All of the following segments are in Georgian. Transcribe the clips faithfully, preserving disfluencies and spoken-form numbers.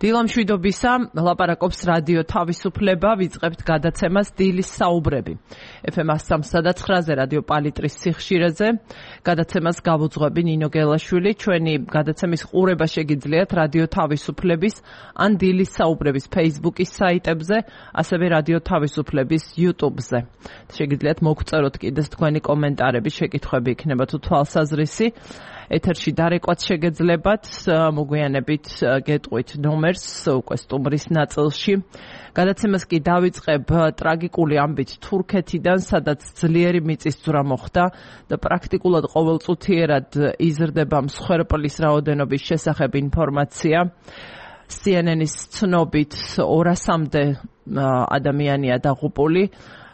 დილამშვიდობისა, ლაპარაკობს რადიო თავისუფლება, ვიწყებთ გადაცემას დილის საუბრები. ეფ ემ one oh three point nine-ზე რადიო პალიტრის სიხშირეზე, გადაცემას გავუძღვები ნინო გელაშვილი, ჩვენი გადაცემის ყურება შეგიძლიათ რადიო თავისუფლების ან დილის საუბრების Facebook-ის საიტებზე, ასევე რადიო თავისუფლების YouTube-ზე. შეგიძლიათ მოგწეროთ კიდეც თქვენი კომენტარები, შეკითხვები იქნება თუ თვალსაზრისი. ეთერში დარეკვაც შეგეძლებათ, მოგვიანებით გეტყვით ნომერს უკვე სტუმრის ნაწილში. გადაცემას კი დავიწყებ ტრაგიკული ამბით თურქეთიდან, სადაც ძლიერი მიწისძვრა მოხდა და პრაქტიკულად ყოველწუთიერად იზრდება მსხვერპლის რაოდენობის შესახებ ინფორმაცია. C N N-ის ცნობით ორასამდე ადამიანია დაღუპული.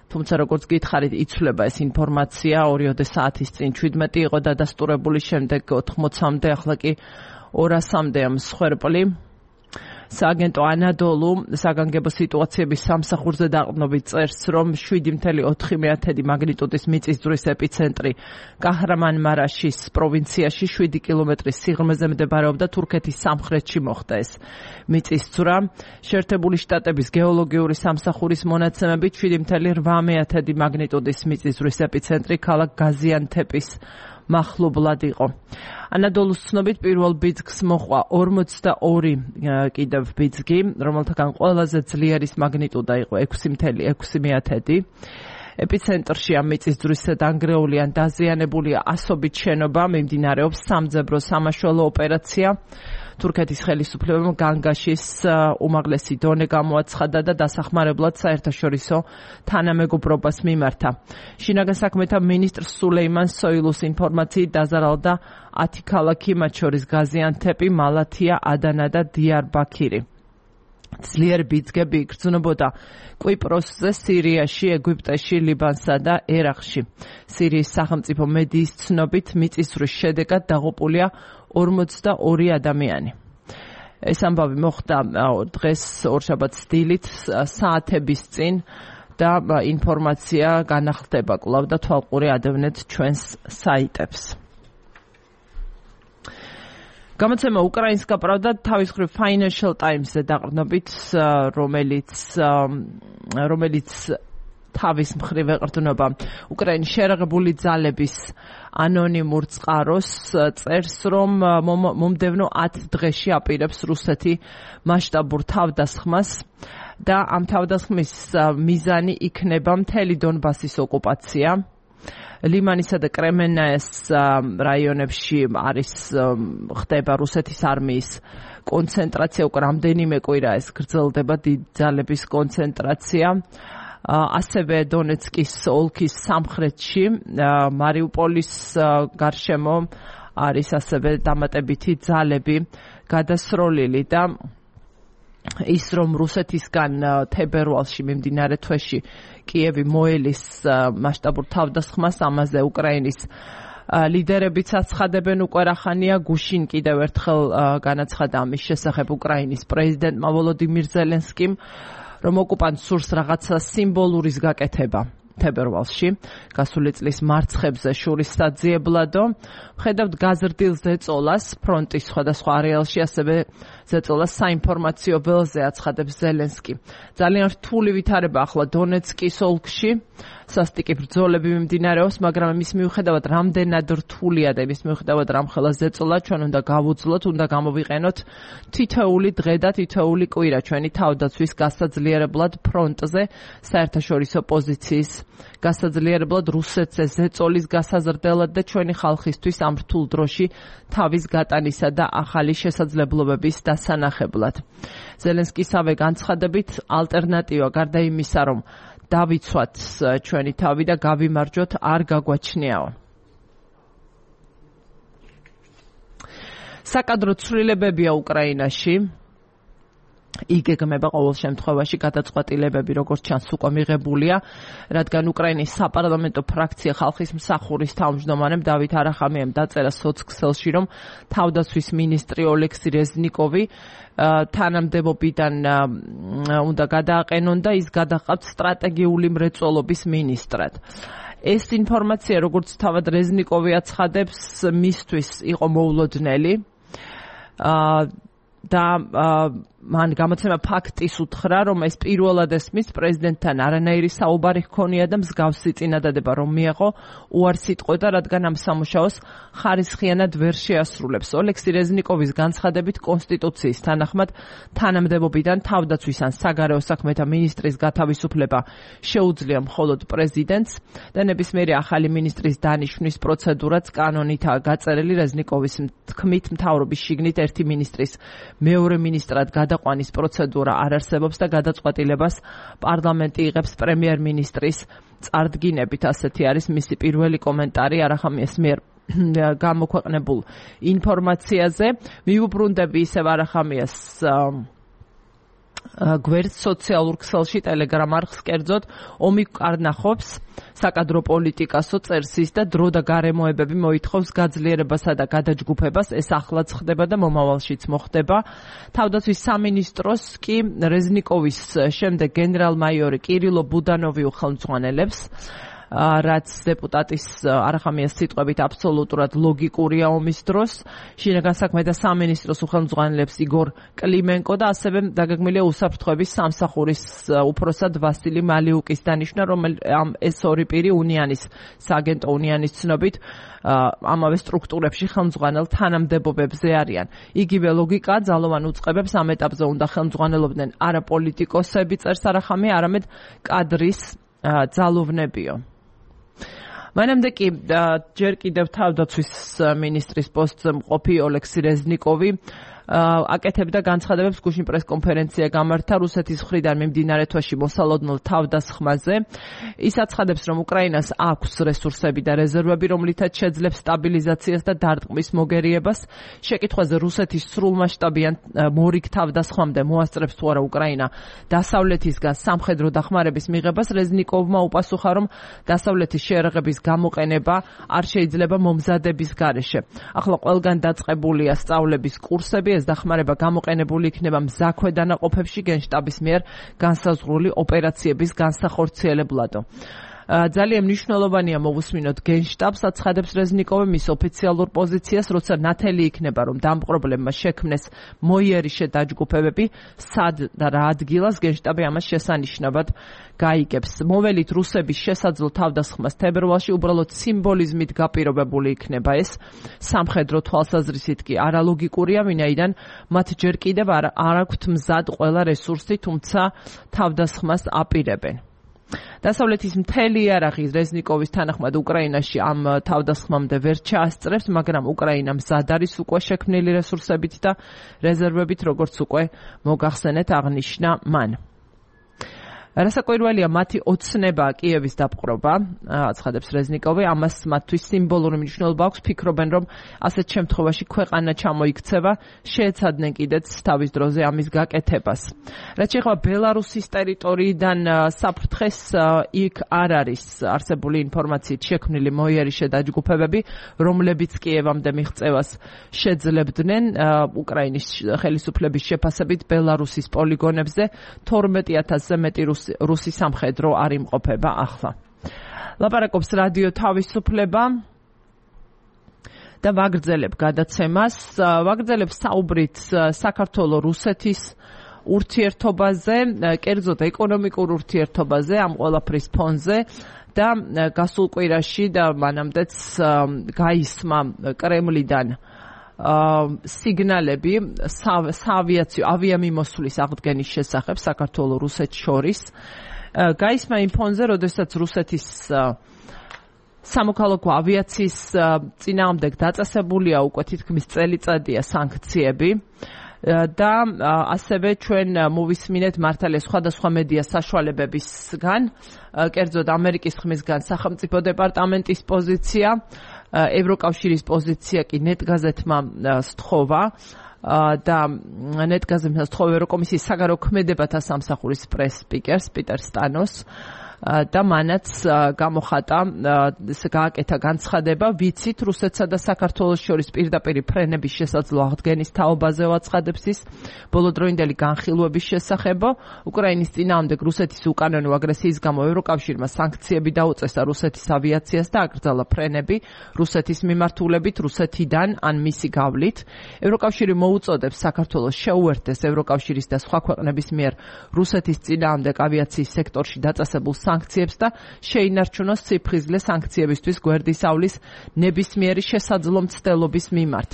თუმცა როგორც გითხარით, იცვლება ეს ინფორმაცია, ორიოდე საათის წინ შვიდმეტი იყო დადასტურებული, შემდეგ ოთხმოცამდე, ახლა კი ორასამდეა მსხვერპლი. სააგენტო ანადოლუ საგანგებო სიტუაციების სამსახურზე დაყრდნობით წერს, რომ შვიდი ფاصლე ოთხი მაგნიტუდის მიწისძვრის ეპიცენტრი კაჰრამანმარაშის პროვინციაში შვიდი კილომეტრის სიღრმეზე მდებარეობდა, თურქეთის სამხრეთში მოხდა ეს მიწისძვრა. შეერთებული შტატების გეოლოგიური სამსახურის მონაცემებით შვიდი ფاصლე ოთხ მაგნიტუდის მიწისძვრის ეპიცენტრი ქალაქ გაზიანთეპის მახლობლად იყო. ანადოლუს ცნობით პირველ ბიძგს მოჰყვა ორმოცდაორი კიდევ ბიძგი, რომელთაგან ყველაზე ძლიერის მაგნიტუდა იყო ექვსი ფاصლე ექვსი. ეპიცენტრში ამ მიწისძვრის დანგრეული ან დაზიანებულია ასობით შენობა, მიმდინარეობს სამძებრო სამაშველო ოპერაცია. თურქეთის ხელისუფლებამ განგაშის უმაღლესი დონე გამოაცხადა და დასახმარებლად საერთაშორისო თანამეგობრობას მიმართა. შინაგან საქმეთა მინისტრ სულეიმან სოილუს ინფორმაციით დაზარალდა ათი ქალაქი, მათ შორის გაზიანთეპი, მალათია, ადანა და დიარბაქირი. ძლიერი ბიძგები იგრძნობოდა კვიპროსზე, სირიაში, ეგვიპტეში, ლიბანსა და ერაყში. სირიის სახელმწიფო მედიის ცნობით მიწისძვრის შედეგად დაღუპულია ორმოცდაორი ადამიანი. ეს ამბავი მოხდა დღეს ორშაბათს დილით საათების წინ და ინფორმაცია განახლდება კვლავ და თვალყური ადევნეთ ჩვენს საიტებს. გამოცემა უკრაინსკა პრავდა თავის მხრივ Financial Times-ზე დაყრდნობით, რომელიც რომელიც თავის მხრივ ეყრდნობა უკრაინის შერაღებული ძალების ანონიმურ წყაროს, წერს, რომ მომდევნო ათ დღეში აპირებს რუსეთი მასშტაბურ თავდასხმას და ამ თავდასხმის მიზანი იქნება მთელი დონბასის ოკუპაცია. ლიმანისა და კრემენაეს რაიონებში არის ხდება რუსეთის არმიის კონცენტრაცია, უკვე რამდენიმე კვირა ეს გრძელდება დიდ ძალების კონცენტრაცია. ასევე დონეცკის ოლქის სამხრეთში, მარიუპოლის გარშემო არის ასევე დამატებითი ძალები გადასროლილი და ის რომ რუსეთისგან თებერვალში მიმდინარე თვეში კიევი მოელის მასშტაბურ თავდასხმას, ამაზე უკრაინის ლიდერებიც აცხადებენ უკვე რახანია. გუშინ კიდევ ერთხელ განაცხადა ამის შესახებ უკრაინის პრეზიდენტმა ვოლოდიმირ ზელენსკიმ, რომ ოკუპანტს სურს რაღაცა სიმბოლურის გაკეთება თებერვალში, გასული წლის მარცხებზე შურის საძიებლადო. ხედავთ გაზრდილ ზეწოლას ფრონტის სხვადასხვა არეალში, ასევე ზეწოლას საინფორმაციო ველზე აცხადებს ზელენსკი. ძალიან რთული ვითარება ახლა დონეცკის ოლქში, სასტიკი ბრძოლები მიმდინარეობს, მაგრამ იმის მიუხედავად რამდენად რთულია და იმის მიუხედავად რამხელა ზეწოლა, ჩვენ უნდა გავუძლოთ, უნდა გამოვიყენოთ თითოეული დღე და თითოეული კვირა ჩვენი თავდაცვის გასაძლიერებლად ფრონტზე, საერთაშორისო პოზიციის გასაძლიერებლად, რუსეთზე ზეწოლის გასაზრდელად და ჩვენი ხალხისთვის ამ რთულ დროში თავის გატანისა და ახალი შესაძლებლობების დასანახებლად. ზელენსკისავე განცხადებით, ალტერნატივა გარდა იმისა, რომ დავიცვათ ჩვენი თავი და გავიმარჯვოთ, არ გაგვაჩნიაო. საკადრო ცვლილებებია უკრაინაში. იგეგმება ყოველ შემთხვევაში გადაწყვეტილებები, როგორც ჩანს, უკვე მიღებულია, რადგან უკრაინის საპარლამენტო ფრაქცია ხალხის მსახურის თავმჯდომარემ დავით არახამიამ დაწერა სოცქსელში, რომ თავდაცვის მინისტრი ოლექსი რეზნიკოვი თანამდებობიდან უნდა გადააყენონ და ის გადაყავთ სტრატეგიული მრეწველობის მინისტრად. ეს ინფორმაცია, როგორც თავად რეზნიკოვი აცხადებს, მისთვის იყო მოულოდნელი და მან გამოცემა ფაქტის უთხრა, რომ ეს პირველად ესმის პრეზიდენტთან არანაირი საუბარი ჰქონია და მსგავსი წინადადება რომ მიეღო უარს იტყვოდა, რადგან ამ სამუშაოს ხარისხიანად ვერ შეასრულებს. ოლექსი რეზნიკოვის განცხადებით კონსტიტუციის თანახმად თანამდებობიდან თავდაცვის ან საგარეო საქმეთა მინისტრის გათავისუფლება შეუძლია მხოლოდ პრეზიდენტს და ნებისმიერი ახალი მინისტრის დანიშვნის პროცედურაც კანონითაა გაწერილი. რეზნიკოვის თქმით, მთავრობის შიგნით ერთი მინისტრის მეორე მინისტრად გადაყვანის პროცედურა არ არსებობს და გადაწყვეტილებას პარლამენტი იღებს პრემიერ-მინისტრის წარდგინებით. ასეთი არის მისი პირველი კომენტარი არახამიას მიერ გამოქვეყნებულ ინფორმაციაზე. მიუბრუნდები ისევ არახამიას გვერდ სოციალურ ქსელში ტელეგრამ არხს კერძოდ ომი კარნახობს საკადრო პოლიტიკასო წერს ის და დრო და გარემოებები მოითხოვს გაძლიერებასა და გადაჯგუფებას. ეს ახლაც ხდება და მომავალშიც მოხდება. თავდაცვის სამინისტროს კი რეზნიკოვის შემდეგ გენერალ-მაიორი კირილო ბუდანოვი უხელმძღვანელებს, რაც დეპუტატის არახამიას სიტყვებით აბსოლუტურად ლოგიკურია ომის დროს. შინაგან საქმეთა სამინისტროს უხელმძღვანელებს იგორ კლიმენკო და ასევე დაგეგმილია უსაფრთხოების სამსახურის უფროსად ვასილი მალიუკის დანიშვნა, რომელიც ეს ორი პირი უნიანის სააგენტო უნიანის ცნობით ამავე სტრუქტურებში ხელმძღვანელ თანამდებობებზე არიან. იგივე ლოგიკა ძალოვან უწყებებს ამ ეტაპზე უნდა ხელმძღვანელობდნენ არა პოლიტიკოსები, წერს არახამია, არამედ კადრის ძალოვნებიო. მანამდე კი ჯერ კიდევ თავდაცვის მინისტრის პოსტზე მყოფი ოლექსი რეზნიკოვი აკეთებდა განცხადებებს გუშინ პრესკონფერენცია გამართა რუსეთის მხრიდან მიმდინარე თვეში მოსალოდნელ თავდასხმაზე. ის აცხადებს, რომ უკრაინას აქვს რესურსები და რეზერვები, რომლითაც შეძლებს სტაბილიზაციას და დარტყმის მოგერიებას. შეკითხვაზე რუსეთის სრულმასშტაბიან მორიგ თავდასხმამდე მოასწრებს თუ არა უკრაინა დასავლეთისგან სამხედრო დახმარების მიღებას, რეზნიკოვმა უპასუხა, რომ დასავლეთის შეერაღების გამოყენება არ შეიძლება მომზადების გარეშე. ახლა ყველგან დაწყებულია სწავლების კურსები, ეს დახმარება გამოყენებული იქნება მზაქვე დანაყოფებში გენშტაბის მიერ განსაზღვრული ოპერაციების განსახორციელებლადო. ძალიან მნიშვნელოვანია მოვუსმინოთ გენშტაბს, აცხადებს რეზნიკოვი მის ოფიციალურ პოზიციას, როცა ნათელი იქნება, რომ დამპყრობლებმა შექმნეს მოიერიშე დაჯგუფებები, სად და რა ადგილას გენშტაბი ამას შესანიშნავად გაიგებს. მოველით რუსების შესაძლო თავდასხმას თებერვალში უბრალოდ სიმბოლიზმით გაპირობებული იქნება ეს. სამხედრო თვალსაზრისით კი არალოგიკურია, ვინაიდან მათ ჯერ კიდევ არ აქვთ მზად ყველა რესურსი, თუმცა თავდასხმას აპირებენ. დასავლეთის მთელი იარაღი რეზნიკოვის თანახმად უკრაინაში ამ თავდასხმამდე ვერ ჩაასწრებს, მაგრამ უკრაინა მზად არის უკვე შექმნილი რესურსებით და რეზერვებით, როგორც უკვე მოგახსენეთ, აღნიშნა მან. რასაკვირველია მათი ოცნება კიევის დაპყრობა, აცხადებს რეზნიკოვი, ამას მათთვის სიმბოლური მნიშვნელობა აქვს, ფიქრობენ, რომ ასეთ შემთხვევაში ქვეყანა ჩამოიქცევა, შეეცადნენ კიდეც თავის დროზე ამის გაკეთებას. რაც შეეხება ბელარუსის ტერიტორიიდან საფრთხეს, იქ არ არის არსებული ინფორმაციით შექმნილი მოიერიშე დაჯგუფებები, რომლებიც კიევამდე მიღწევას შეძლებდნენ. უკრაინის ხელისუფლების შეფასებით ბელარუსის პოლიგონებზე თორმეტი ათასზე მეტი რუსი რუსი სამხედრო არ იმყოფება ახლა. ლაპარაკობს რადიო თავისუფლება და ვაგრძელებ გადაცემას. ვაგრძელებ საუბრით საქართველო-რუსეთის ურთიერთობაზე, კერძოდ ეკონომიკურ ურთიერთობაზე, ამ ყველაფრის ფონზე და გასულ კვირაში და მანამდეც გაისმა კრემლიდან სიგნალები საავიაციო ავიამიმოსვლის აღდგენის შესახებ საქართველო-რუსეთს შორის. გაისმა იმ ფონზე, როდესაც რუსეთის სამოქალაქო ავიაციის წინააღმდეგ დაწესებულია უკვე თითქმის წელიწადია სანქციები და ასევე ჩვენ მოვისმინეთ მართალია სხვადასხვა მედია საშუალებებისგან, კერძოდ ამერიკის ხმისგან სახელმწიფო დეპარტამენტის პოზიცია, ევროკავშირის პოზიცია კი ნეტგაზეთმა სთხოვა და ნეტგაზეთმა სთხოვა ევროკომისიის საგარეო ქმედებათა სამსახურის პრეს სპიკერს პიტერ სტანოს, და მანაც გამოხატა გააკეთა განცხადება, ვიცით რუსეთსა და საქართველოს შორის პირდაპირ ფრენების შესაძლო აღდგენის თაობაზე ვაცხადებს ის ბოლოდროინდელი განხილვების შესახებო, უკრაინის წინააღმდეგ რუსეთის უკანონო აგრესიის გამო ევროკავშირმა სანქციები დაუწესა რუსეთის ავიაციას და აკრძალა ფრენები რუსეთის მიმართულებით რუსეთიდან ან მისი გავლით. ევროკავშირი მოუწოდებს საქართველოს შეუერთდეს ევროკავშირის და სხვა ქვეყნების მიერ რუსეთის წინააღმდეგ ავიაციის სექტორში დაწესებულ სანქციებს და შეინარჩუნოს ციფრიზლე სანქციებისთვის გვერდისავლის ნებისმიერი შესაძლო მცდელობის მიმართ.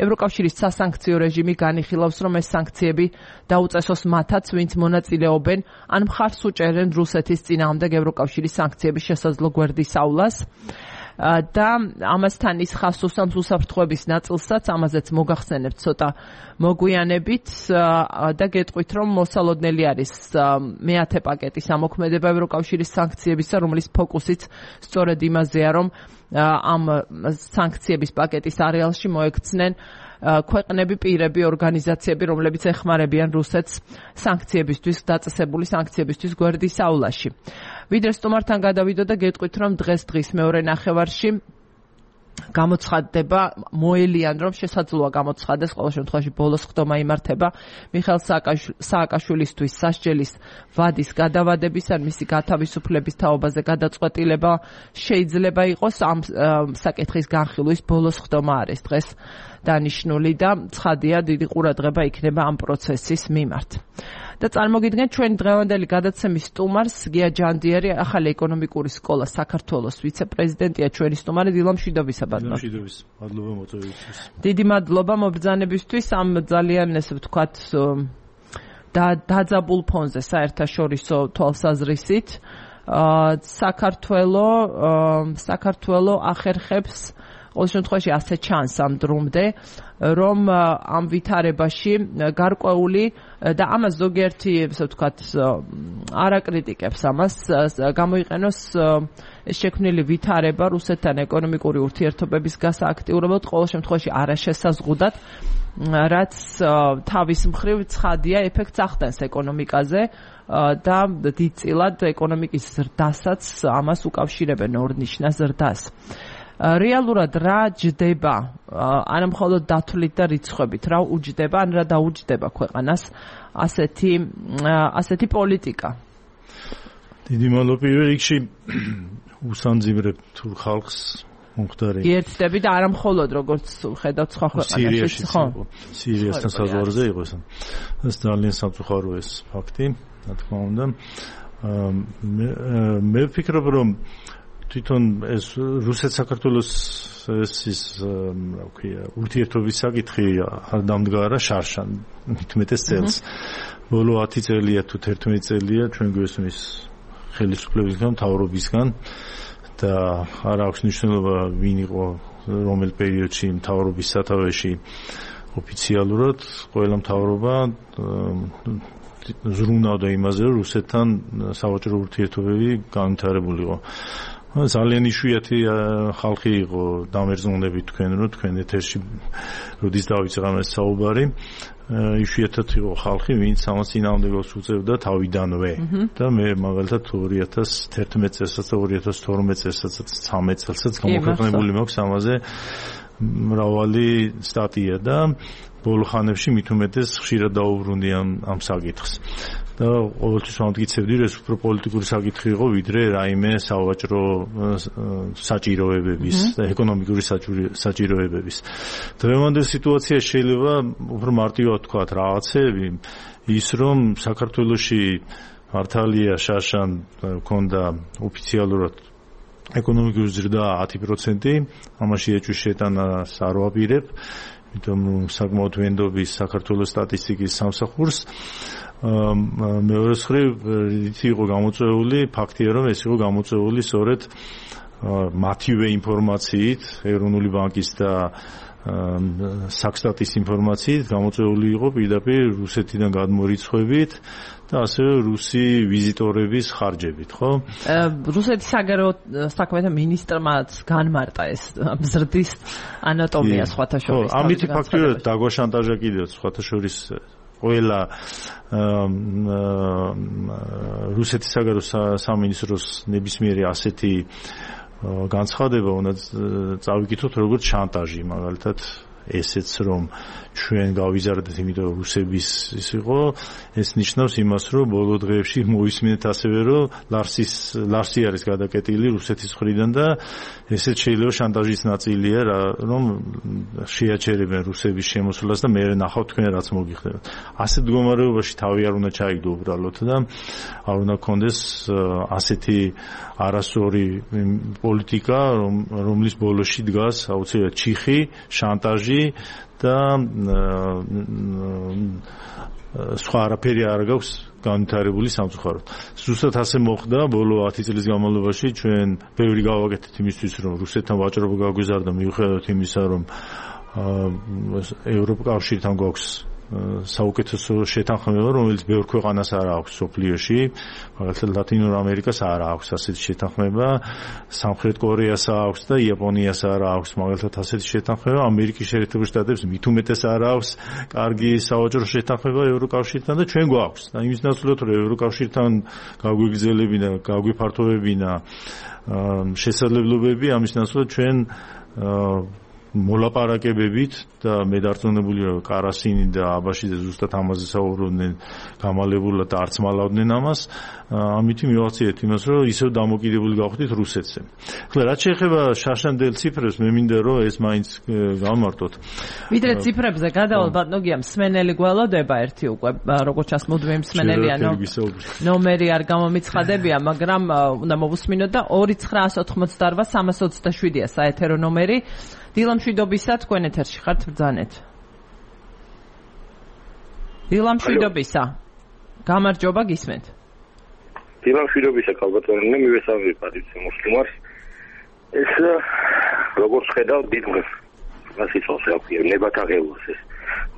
ევროკავშირის სასანქციო რეჟიმი განიხილავს, რომ ეს სანქციები დაუწესოს მათაც, ვინც მონაწილეობენ ან მხარს უჭერენ რუსეთის წინააღმდეგ ევროკავშირის სანქციების შესაძლო გვერდისავლას. და ამასთან ის ხას უსვამს უსაფრთხოების ნაწილსაც, ამაზეც მოგახსენებთ ცოტა მოგვიანებით და გეტყვით, რომ მოსალოდნელი არის მეათე პაკეტის ამოქმედება ევროკავშირის სანქციებისა, რომლის ფოკუსიც სწორედ იმაზეა, რომ ამ სანქციების პაკეტის არეალში მოექცნენ ქვეყნები, პირები, ორგანიზაციები, რომლებიც ეხმარებიან რუსეთს სანქციებისთვის, დაწესებული სანქციებისთვის გვერდისავლაში. ვიდრე სტუმართან გადავიდო და გეტყვით, რომ დღეს დღის მეორე ნახევარში გამოცხადდება მოელიან, რომ შესაძლოა გამოცხადდეს, ყოველ შემთხვევაში ბოლოს ხდომა იმართება მიხეილ სააკაშვილისთვის სასჯელის ვადის გადავადების ან მისი გათავისუფლების თაობაზე გადაწყვეტილება შეიძლება იყოს. ამ საკითხის განხილვის ბოლოს ხდომა არის დღეს დანიშნული და ცხადია, დიდი ყურადღება იქნება ამ პროცესის მიმართ. და წარმოგიდგენთ ჩვენი დღევანდელი გადაცემის სტუმარს, გია ჯანდიერი, ახალი ეკონომიკური სკოლა საქართველოს ვიცე-პრეზიდენტია, ჩვენი სტუმარი დილა მშვიდობისა ბატონო. მშვიდობის, მადლობა მოწვევისთვის. დიდი მადლობა მობრძანებისთვის ამ ძალიან ესე ვთქვათ და დაძაბულ ფონზე საერთაშორისო თვალსაზრისით. საქართველო საქართველო ახერხებს ყოველ შემთხვევაში ასე ჩანს ამ დრომდე, რომ ამ ვითარებაში გარკვეული და ამას ზოგიერთი, ესე ვთქვათ, არ აკრიტიკებს ამას, გამოიყენოს შექმნილი ვითარება რუსეთთან ეკონომიკური ურთიერთობების გასააქტიურებლად, ყოველ შემთხვევაში არაშესაზღუდად, რაც თავის მხრივ ცხადია ეფექტს ახდენს ეკონომიკაზე და დიდწილად ეკონომიკის ზრდასაც ამას უკავშირებენ ორ ნიშნას ზრდას. რეალურად რა ჯდება, არა მხოლოდ დათვლით და რიცხვებით, რა უჯდება, ან რა დაუჯდება ქვეყანას ასეთი ასეთი პოლიტიკა? დიდი მადლობა პირველ რიგში უსამძიმრებ თუ ხალხს მომხდარი. ერთდები და არა მხოლოდ როგორც ხედავთ სხვა ქვეყანაში, ხო? სირიასთან საზღვარზე იყო ეს. ეს ძალიან სამწუხარო ეს ფაქტი, რა თქმა უნდა. მე ვფიქრობ, რომ თვითონ ეს რუსეთ-საქართველოს ეს რა ვქვია, ურთიერთობის საკითხი არ დამდგარა შარშან მithumetes წელს. ბოლო ათი წელია თუ თერთმეტი წელია ჩვენ გვესმის ხელისუფლებისგან, მთავრობისგან და არ აქვს მნიშვნელობა ვინ იყო რომელ პერიოდში მთავრობის სათავეში ოფიციალურად, ყველა მთავრობა ზრუნავდა იმაზე, რომ რუსეთთან სავაჭრო ურთიერთობები განვითარებულიყო. ძალიან იშვიათი ხალხი იყო დამერძონები თქვენ, რომ თქვენ ეთერში როდის დავიწყე ამ საუბარი, იშვიათად იყო ხალხი, ვინც ამას წინააღმდეგობას უწევდა თავიდანვე და მე მაგალითად ორი ათას თერთმეტი წელსაც და ორი ათას თორმეტ წელსაც ცხრამეტ წელსაც გამოქვეყნებული მაქვს ამაზე მრავალი სტატია და ბოლო ხანებში მithumetes ხშირად დაუბრუნდი ამ ამ საკითხს. და ყოველთვის ვამტკიცებდი, რომ ეს უფრო პოლიტიკური საკითხი იყო, ვიდრე რაიმე სავაჭრო საჭიროებების და ეკონომიკური საჭიროებების. დღევანდელ სიტუაციაში შეიძლება უფრო მარტივად ვთქვათ რაღაცები, ის რომ საქართველოში მართალია შარშან ქონდა ოფიციალურად ეკონომიკური ზრდა ათი პროცენტი, ამაში ეჭვის შეტანას არ ვაპირებ, იმიტომ რომ საკმაოდ ვენდობის საქართველოს სტატისტიკის სამსახურს. მეორე მხრივ იცი იყო გამოწვეული ფაქტია, რომ ეს იყო გამოწვეული სწორედ მათივე ინფორმაციით, ეროვნული ბანკის და საქსტატის ინფორმაციით, გამოწვეული იყო პირდაპირ რუსეთიდან გადმორიცხვებით და ასევე რუსი ვიზიტორების ხარჯებით, ხო? რუსეთის საგარეო საქმეთა მინისტრმაც განმარტა ეს ზრდის ანატომია სხვათა შორის. ხო, ამით ფაქტიურად დაგვაშანტაჟა კიდევ სხვათა შორის ყველა რუსეთის საგარეო სამინისტროს ნებისმიერი ასეთი განცხადება უნდა წავიკითხოთ როგორც შანტაჟი, მაგალითად ესეც რომ ჩვენ გავიზარდეთ, იმიტომ რომ რუსების ის იყო, ეს ნიშნავს იმას, რომ ბოლო დღეებში მოისმინეთ ასევე, რომ ლარსის ლარსი არის გადაკეტილი რუსეთის მხრიდან და ესეც შეიძლება შანტაჟის ნაწილია, რომ შეაჩერებენ რუსების შემოსვლას და მე ნახავთ თქვენ რაც მოგიხდება. ასეთ მდგომარეობაში თავი არ უნდა ჩაიგდო უბრალოდ და არ უნდა გქონდეს ასეთი არასწორი პოლიტიკა, რომლის ბოლოში დგას აუცილებლად ჩიხი, შანტაჟი და სხვა არაფერი არ გაქვს განვითარებული სამწუხაროდ. ზუსტად ასე მოხდა ბოლო ათი წლის განმავლობაში ჩვენ ბევრი გავაკეთეთ იმისთვის რომ რუსეთთან ვაჭრობა გაგვიზარდა მიუხედავად იმისა რომ ევროკავშირთან გვაქვს საუკეთესო შეთანხმება, რომელიც ბევრ ქვეყანას არ აქვს სოფლიოში, მაგალითად ლათინურ ამერიკას არ აქვს ასეთი შეთანხმება, სამხრეთ კორეას აქვს და იაპონიას არ აქვს მაგალითად ასეთი შეთანხმება, ამერიკის შეერთებულ შტატებს მით უმეტეს არ აქვს კარგი სავაჭრო შეთანხმება ევროკავშირთან და ჩვენ გვაქვს. და იმის ნაცვლად რომ ევროკავშირთან გაგვიგრძელებინა, გაგვიფართოვებინა შესაძლებლობები, ამის ნაცვლად ჩვენ მოლაპარაკებებით და მე დარწმუნებული ვარ კარასინი და აბაშიძე ზუსტად ამაზე საუბრობდნენ გამალებულად და არც მალავდნენ ამას, ამითი მივახციეთ იმას, რომ ისევ დამოკიდებული გავხდით რუსეთზე. ახლა რაც შეეხება შაშანდელ ციფრებს, მე მინდა რომ ეს მაინც გავმარტოთ. ვიდრე ციფრებზე გადავალ ბატონო, მსმენელი გველოდება ერთი უკვე, როგორც ჩანს მუდმივი მსმენელია, ნომერი არ გამომიცხადებია, მაგრამ უნდა მოვუსმინოთ და ორი ცხრაას ოთხმოცდაორვა სამას ოცდაშვიდია საეთერო ნომერი. დილამშვიდობისა, თქვენ ეთერში ხართ, ბრძანეთ. დილამშვიდობისა. გამარჯობა, გისმენთ. დილამშვიდობისა, კალბატონი, მივესალმებით პატრიცია მოსლიმარს. ეს როგორც ხედავ, დიდ გასიცვალს აქვს, ნებათაღელოს ეს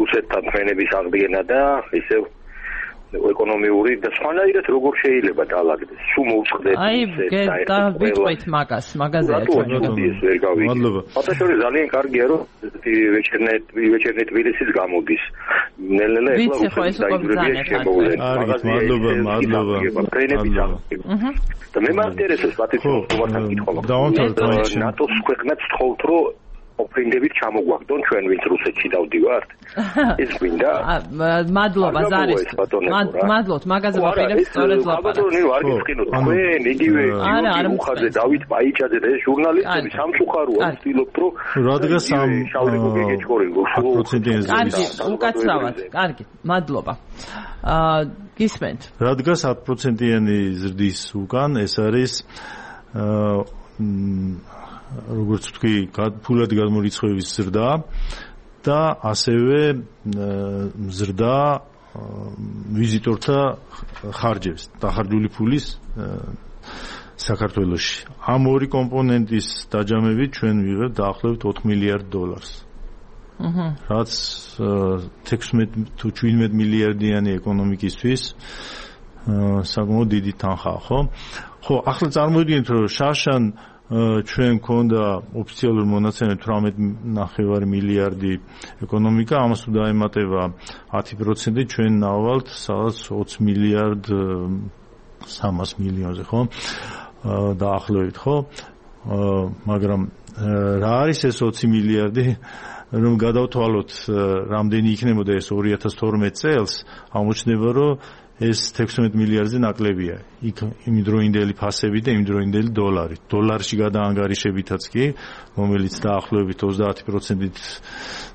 რუსეთთან ფრენების აღდგენა და ისევ ეკონომიური და სხვანაირად როგორ შეიძლება დაალაგდეს. სულ მოუწყდეთ აი, დავიწყოთ მაგას, მაგაზე მადლობა. ფაქტობრივად ძალიან კარგია, რომ ვეჩერნეთ ვეჩერნე თბილისის გამოდის. ნელ-ნელა ეხლა მადლობა, მადლობა. და მე მაინტერესებს პატრიცია თუმართან კითხვა. ნატოს ქვეყნებს თხოვთ, რომ ოფრინდებით ჩამოგვაგდონ ჩვენ ვინც რუსეთში დავდივართ. ეს გვინდა? მადლობა ზარის. მადლობთ, მაგაზე ვაპირებ სწორედ ლაპარაკს. ბატონო, არ გიფრინოთ. თქვენ იგივე უხაზე დავით პაიჭაძე და ეს ჟურნალისტები სამწუხაროა ვთილობთ, რომ რადგან სამ პროცენტიანი კარგი, უკაცრავად. კარგი, მადლობა. აა გისმენთ. რადგან ათ პროცენტიანი ზრდის უკან ეს არის აა როგორც ვთქვი, ფულად გადმორიცხვევის ზრდა და ასევე ზრდა ვიზიტორთა ხარჯებს, დახარჯული ფულის საქართველოში. ამ ორი კომპონენტის დაჯამებით ჩვენ ვიღებთ დაახლოებით ოთხ მილიარდ დოლარს. აჰა. რაც თექვსმეტ თუ შვიდმეტ მილიარდიანი ეკონომიკისთვის საკმაოდ დიდი თანხაა, ხო? ხო, ახლა წარმოვიდგინეთ, რომ შაშან ჩვენ მქონდა ოფიციალური მონაცემები თვრამეტ ნახევარი მილიარდი ეკონომიკა, ამას თუ დაემატება ათი პროცენტი, ჩვენ ნავალთ სადაც ოცი მილიარდ სამას მილიონზე, ხო? დაახლოებით, ხო? მაგრამ რა არის ეს ოცი მილიარდი? რომ გადავთვალოთ, რამდენი იქნებოდა ეს ორი ათას თორმეტ წელს, აღმოჩნდება, რომ ეს თექვსმეტ მილიარდზე ნაკლებია. იქ იმდროინდელი ფასები და იმდროინდელი დოლარი. დოლარში გადაანგარიშებითაც კი, რომელიც დაახლოებით ოცდაათი პროცენტით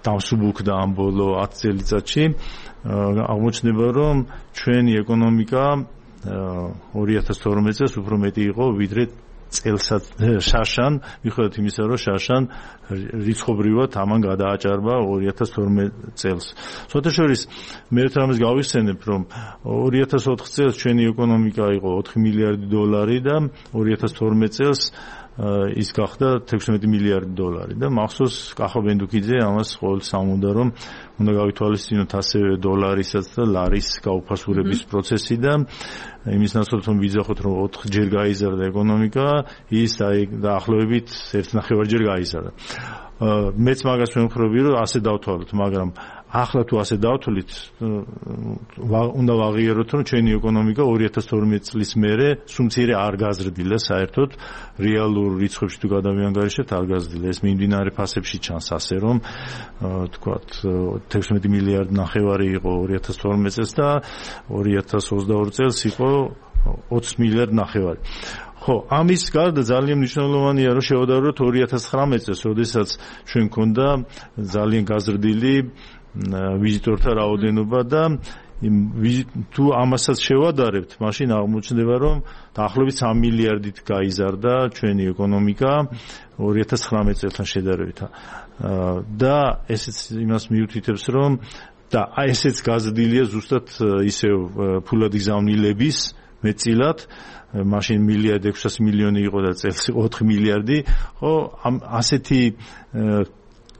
დამსუბუქდა ამ ბოლო ათი წელიწადში, აღმოჩნდება, რომ ჩვენი ეკონომიკა ორი ათას თორმეტ წელს უფრო მეტი იყო, ვიდრე წელსაც შაშან, მიუხედავად იმისა, რომ შაშან რიცხობრივად ამან გადააჭარბა ორი ათას თორმეტ წელს. სხვათაშორის მე ერთ რამეს გავიხსენებ, რომ ორი ათას ოთხ წელს ჩვენი ეკონომიკა იყო ოთხი მილიარდი დოლარი და ორი ათას თორმეტ წელს ის გახდა თექვსმეტი მილიარდი დოლარი და მახსოვს კახა ბენდუკიძე ამას ყოველთვის ამბობდა, რომ უნდა გავითვალისწინოთ ასევე დოლარისაც და ლარის გაუფასურების პროცესი და იმის ნაცვლად რომ ვიძახოთ, რომ ოთხჯერ გაიზარდა ეკონომიკა, ის აი დაახლოებით ერთ ნახევარჯერ გაიზარდა. მეც მაგას ვემხრობი, რომ ასე დავთვალოთ, მაგრამ ახლა თუ ასე დავთვლით, უნდა ვაღიაროთ, რომ ჩვენი ეკონომიკა ორი ათას თორმეტი წლის მერე სუმცირე არ გაზრდილა საერთოდ, რეალურ რიცხვებში თუ გადავიანგარიშებთ, არ გაზრდილა. ეს მიმდინარე ფასებში ჩანს ასე, რომ თქვათ თექვსმეტი მილიარდი ნახევარი იყო ორი ათას თორმეტი წელს და ორი ათას ოცდაორი წელს იყო ოცი მილიარდი ნახევარი. ხო, ამის გარდა ძალიან მნიშვნელოვანია, რომ შევადაროთ ორი ათას ცხრამეტი წელს, როდესაც ჩვენ გქონდა ძალიან გაზრდილი ვიზიტორთა რაოდენობა და თუ ამასაც შევადარებთ, მაშინ აღმოჩნდება, რომ დაახლოებით სამი მილიარდით გაიზარდა ჩვენი ეკონომიკა ორი ათას ცხრამეტი წელთან შედარებით. და ესეც იმას მიუთითებს, რომ და ესეც გაზრდილია ზუსტად ისევ ფულადი გზავნილების მეტწილად, მაშინ მილიარდი ექვსასი მილიონი იყო და წელს ოთხი მილიარდი, ხო, ამ ასეთი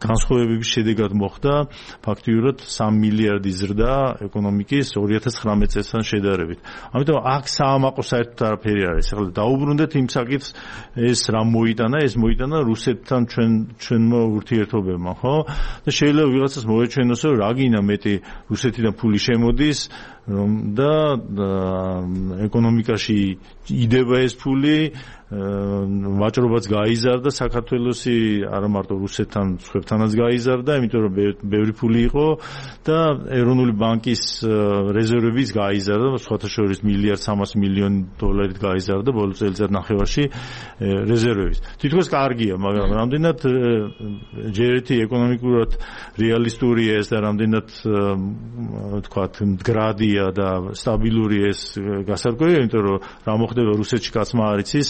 განსხვავებების შედეგად მოხდა ფაქტიურად სამი მილიარდი ზრდა ეკონომიკის ორი ათას ცხრამეტი წელთან შედარებით. ამიტომ აქ საამაყო საერთოდ არაფერი არის. ახლა დაუბრუნდეთ იმ საკითხს, ეს რა მოიტანა, ეს მოიტანა რუსეთთან ჩვენ ჩვენმა ურთიერთობებმა, ხო? და შეიძლება ვიღაცას მოეჩვენოს, რომ რა გინდა მეტი რუსეთიდან ფული შემოდის, რომ და ეკონომიკაში იდება ეს ფული, ვაჭრობაც გაიზარდა საქართველოსი, არა მარტო რუსეთთან, სხვებთანაც გაიზარდა, იმიტომ რომ ბევრი ფული იყო და ეროვნული ბანკის რეზერვებიც გაიზარდა, სხვათა შორის მილიარდ სამას მილიონი დოლარით გაიზარდა ბოლო წელიწად ნახევარში რეზერვების. თითქოს კარგია, მაგრამ რამდენად ჯერ ერთი ეკონომიკურად რეალისტურია ეს და რამდენად თქვათ მდგრადია და სტაბილური ეს გასარკვევია, იმიტომ რომ რა მოხდება რუსეთში კაცმა არ იცის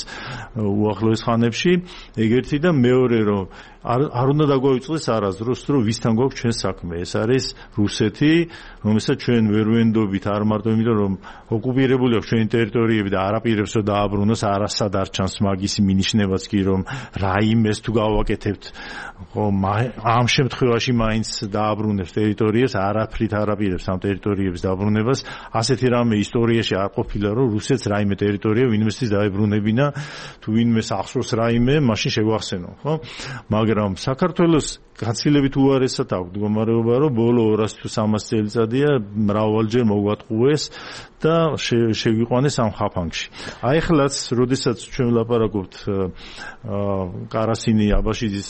უახლოეს ხანებში, ეგერთი და მეორე რომ არ არ უნდა დაგვაუწყდეს არასდროს, რომ ვისთან გვაქვს ჩვენ საქმე. ეს არის რუსეთი, რომელსაც ჩვენ ვერ ვენდობით, არ მარტო იმიტომ რომ ოკუპირებული აქვს ჩვენი ტერიტორიები და არაპირებს რომ დააბრუნოს, არასად არ ჩანს მაგისი მინიშნებაც კი რომ რაიმეს თუ გავაკეთებთ, ხო, ამ შემთხვევაში მაინც დააბრუნებს ტერიტორიას, არაფრით არაპირებს ამ ტერიტორიების დაბრუნებას. ასეთი რამე ისტორიაში არ ყოფილა, რომ რუსეთს რაიმე ტერიტორია ვინმესთვის დაებრუნებინა, თუ ვინმეს ახსოვს რაიმე, მაშინ შეგვახსენო, ხო? მაგრამ საქართველოს გაცილებით უარესად აქვს მდგომარეობა, რომ ბოლო ორასი თუ სამასი წელიწადია მრავალჯერ მოგვატყუეს და შეგვიყვანეს ამ ხაფანგში. აი ხლაც, როდესაც ჩვენ ვლაპარაკობთ კარასინი აბაშიძის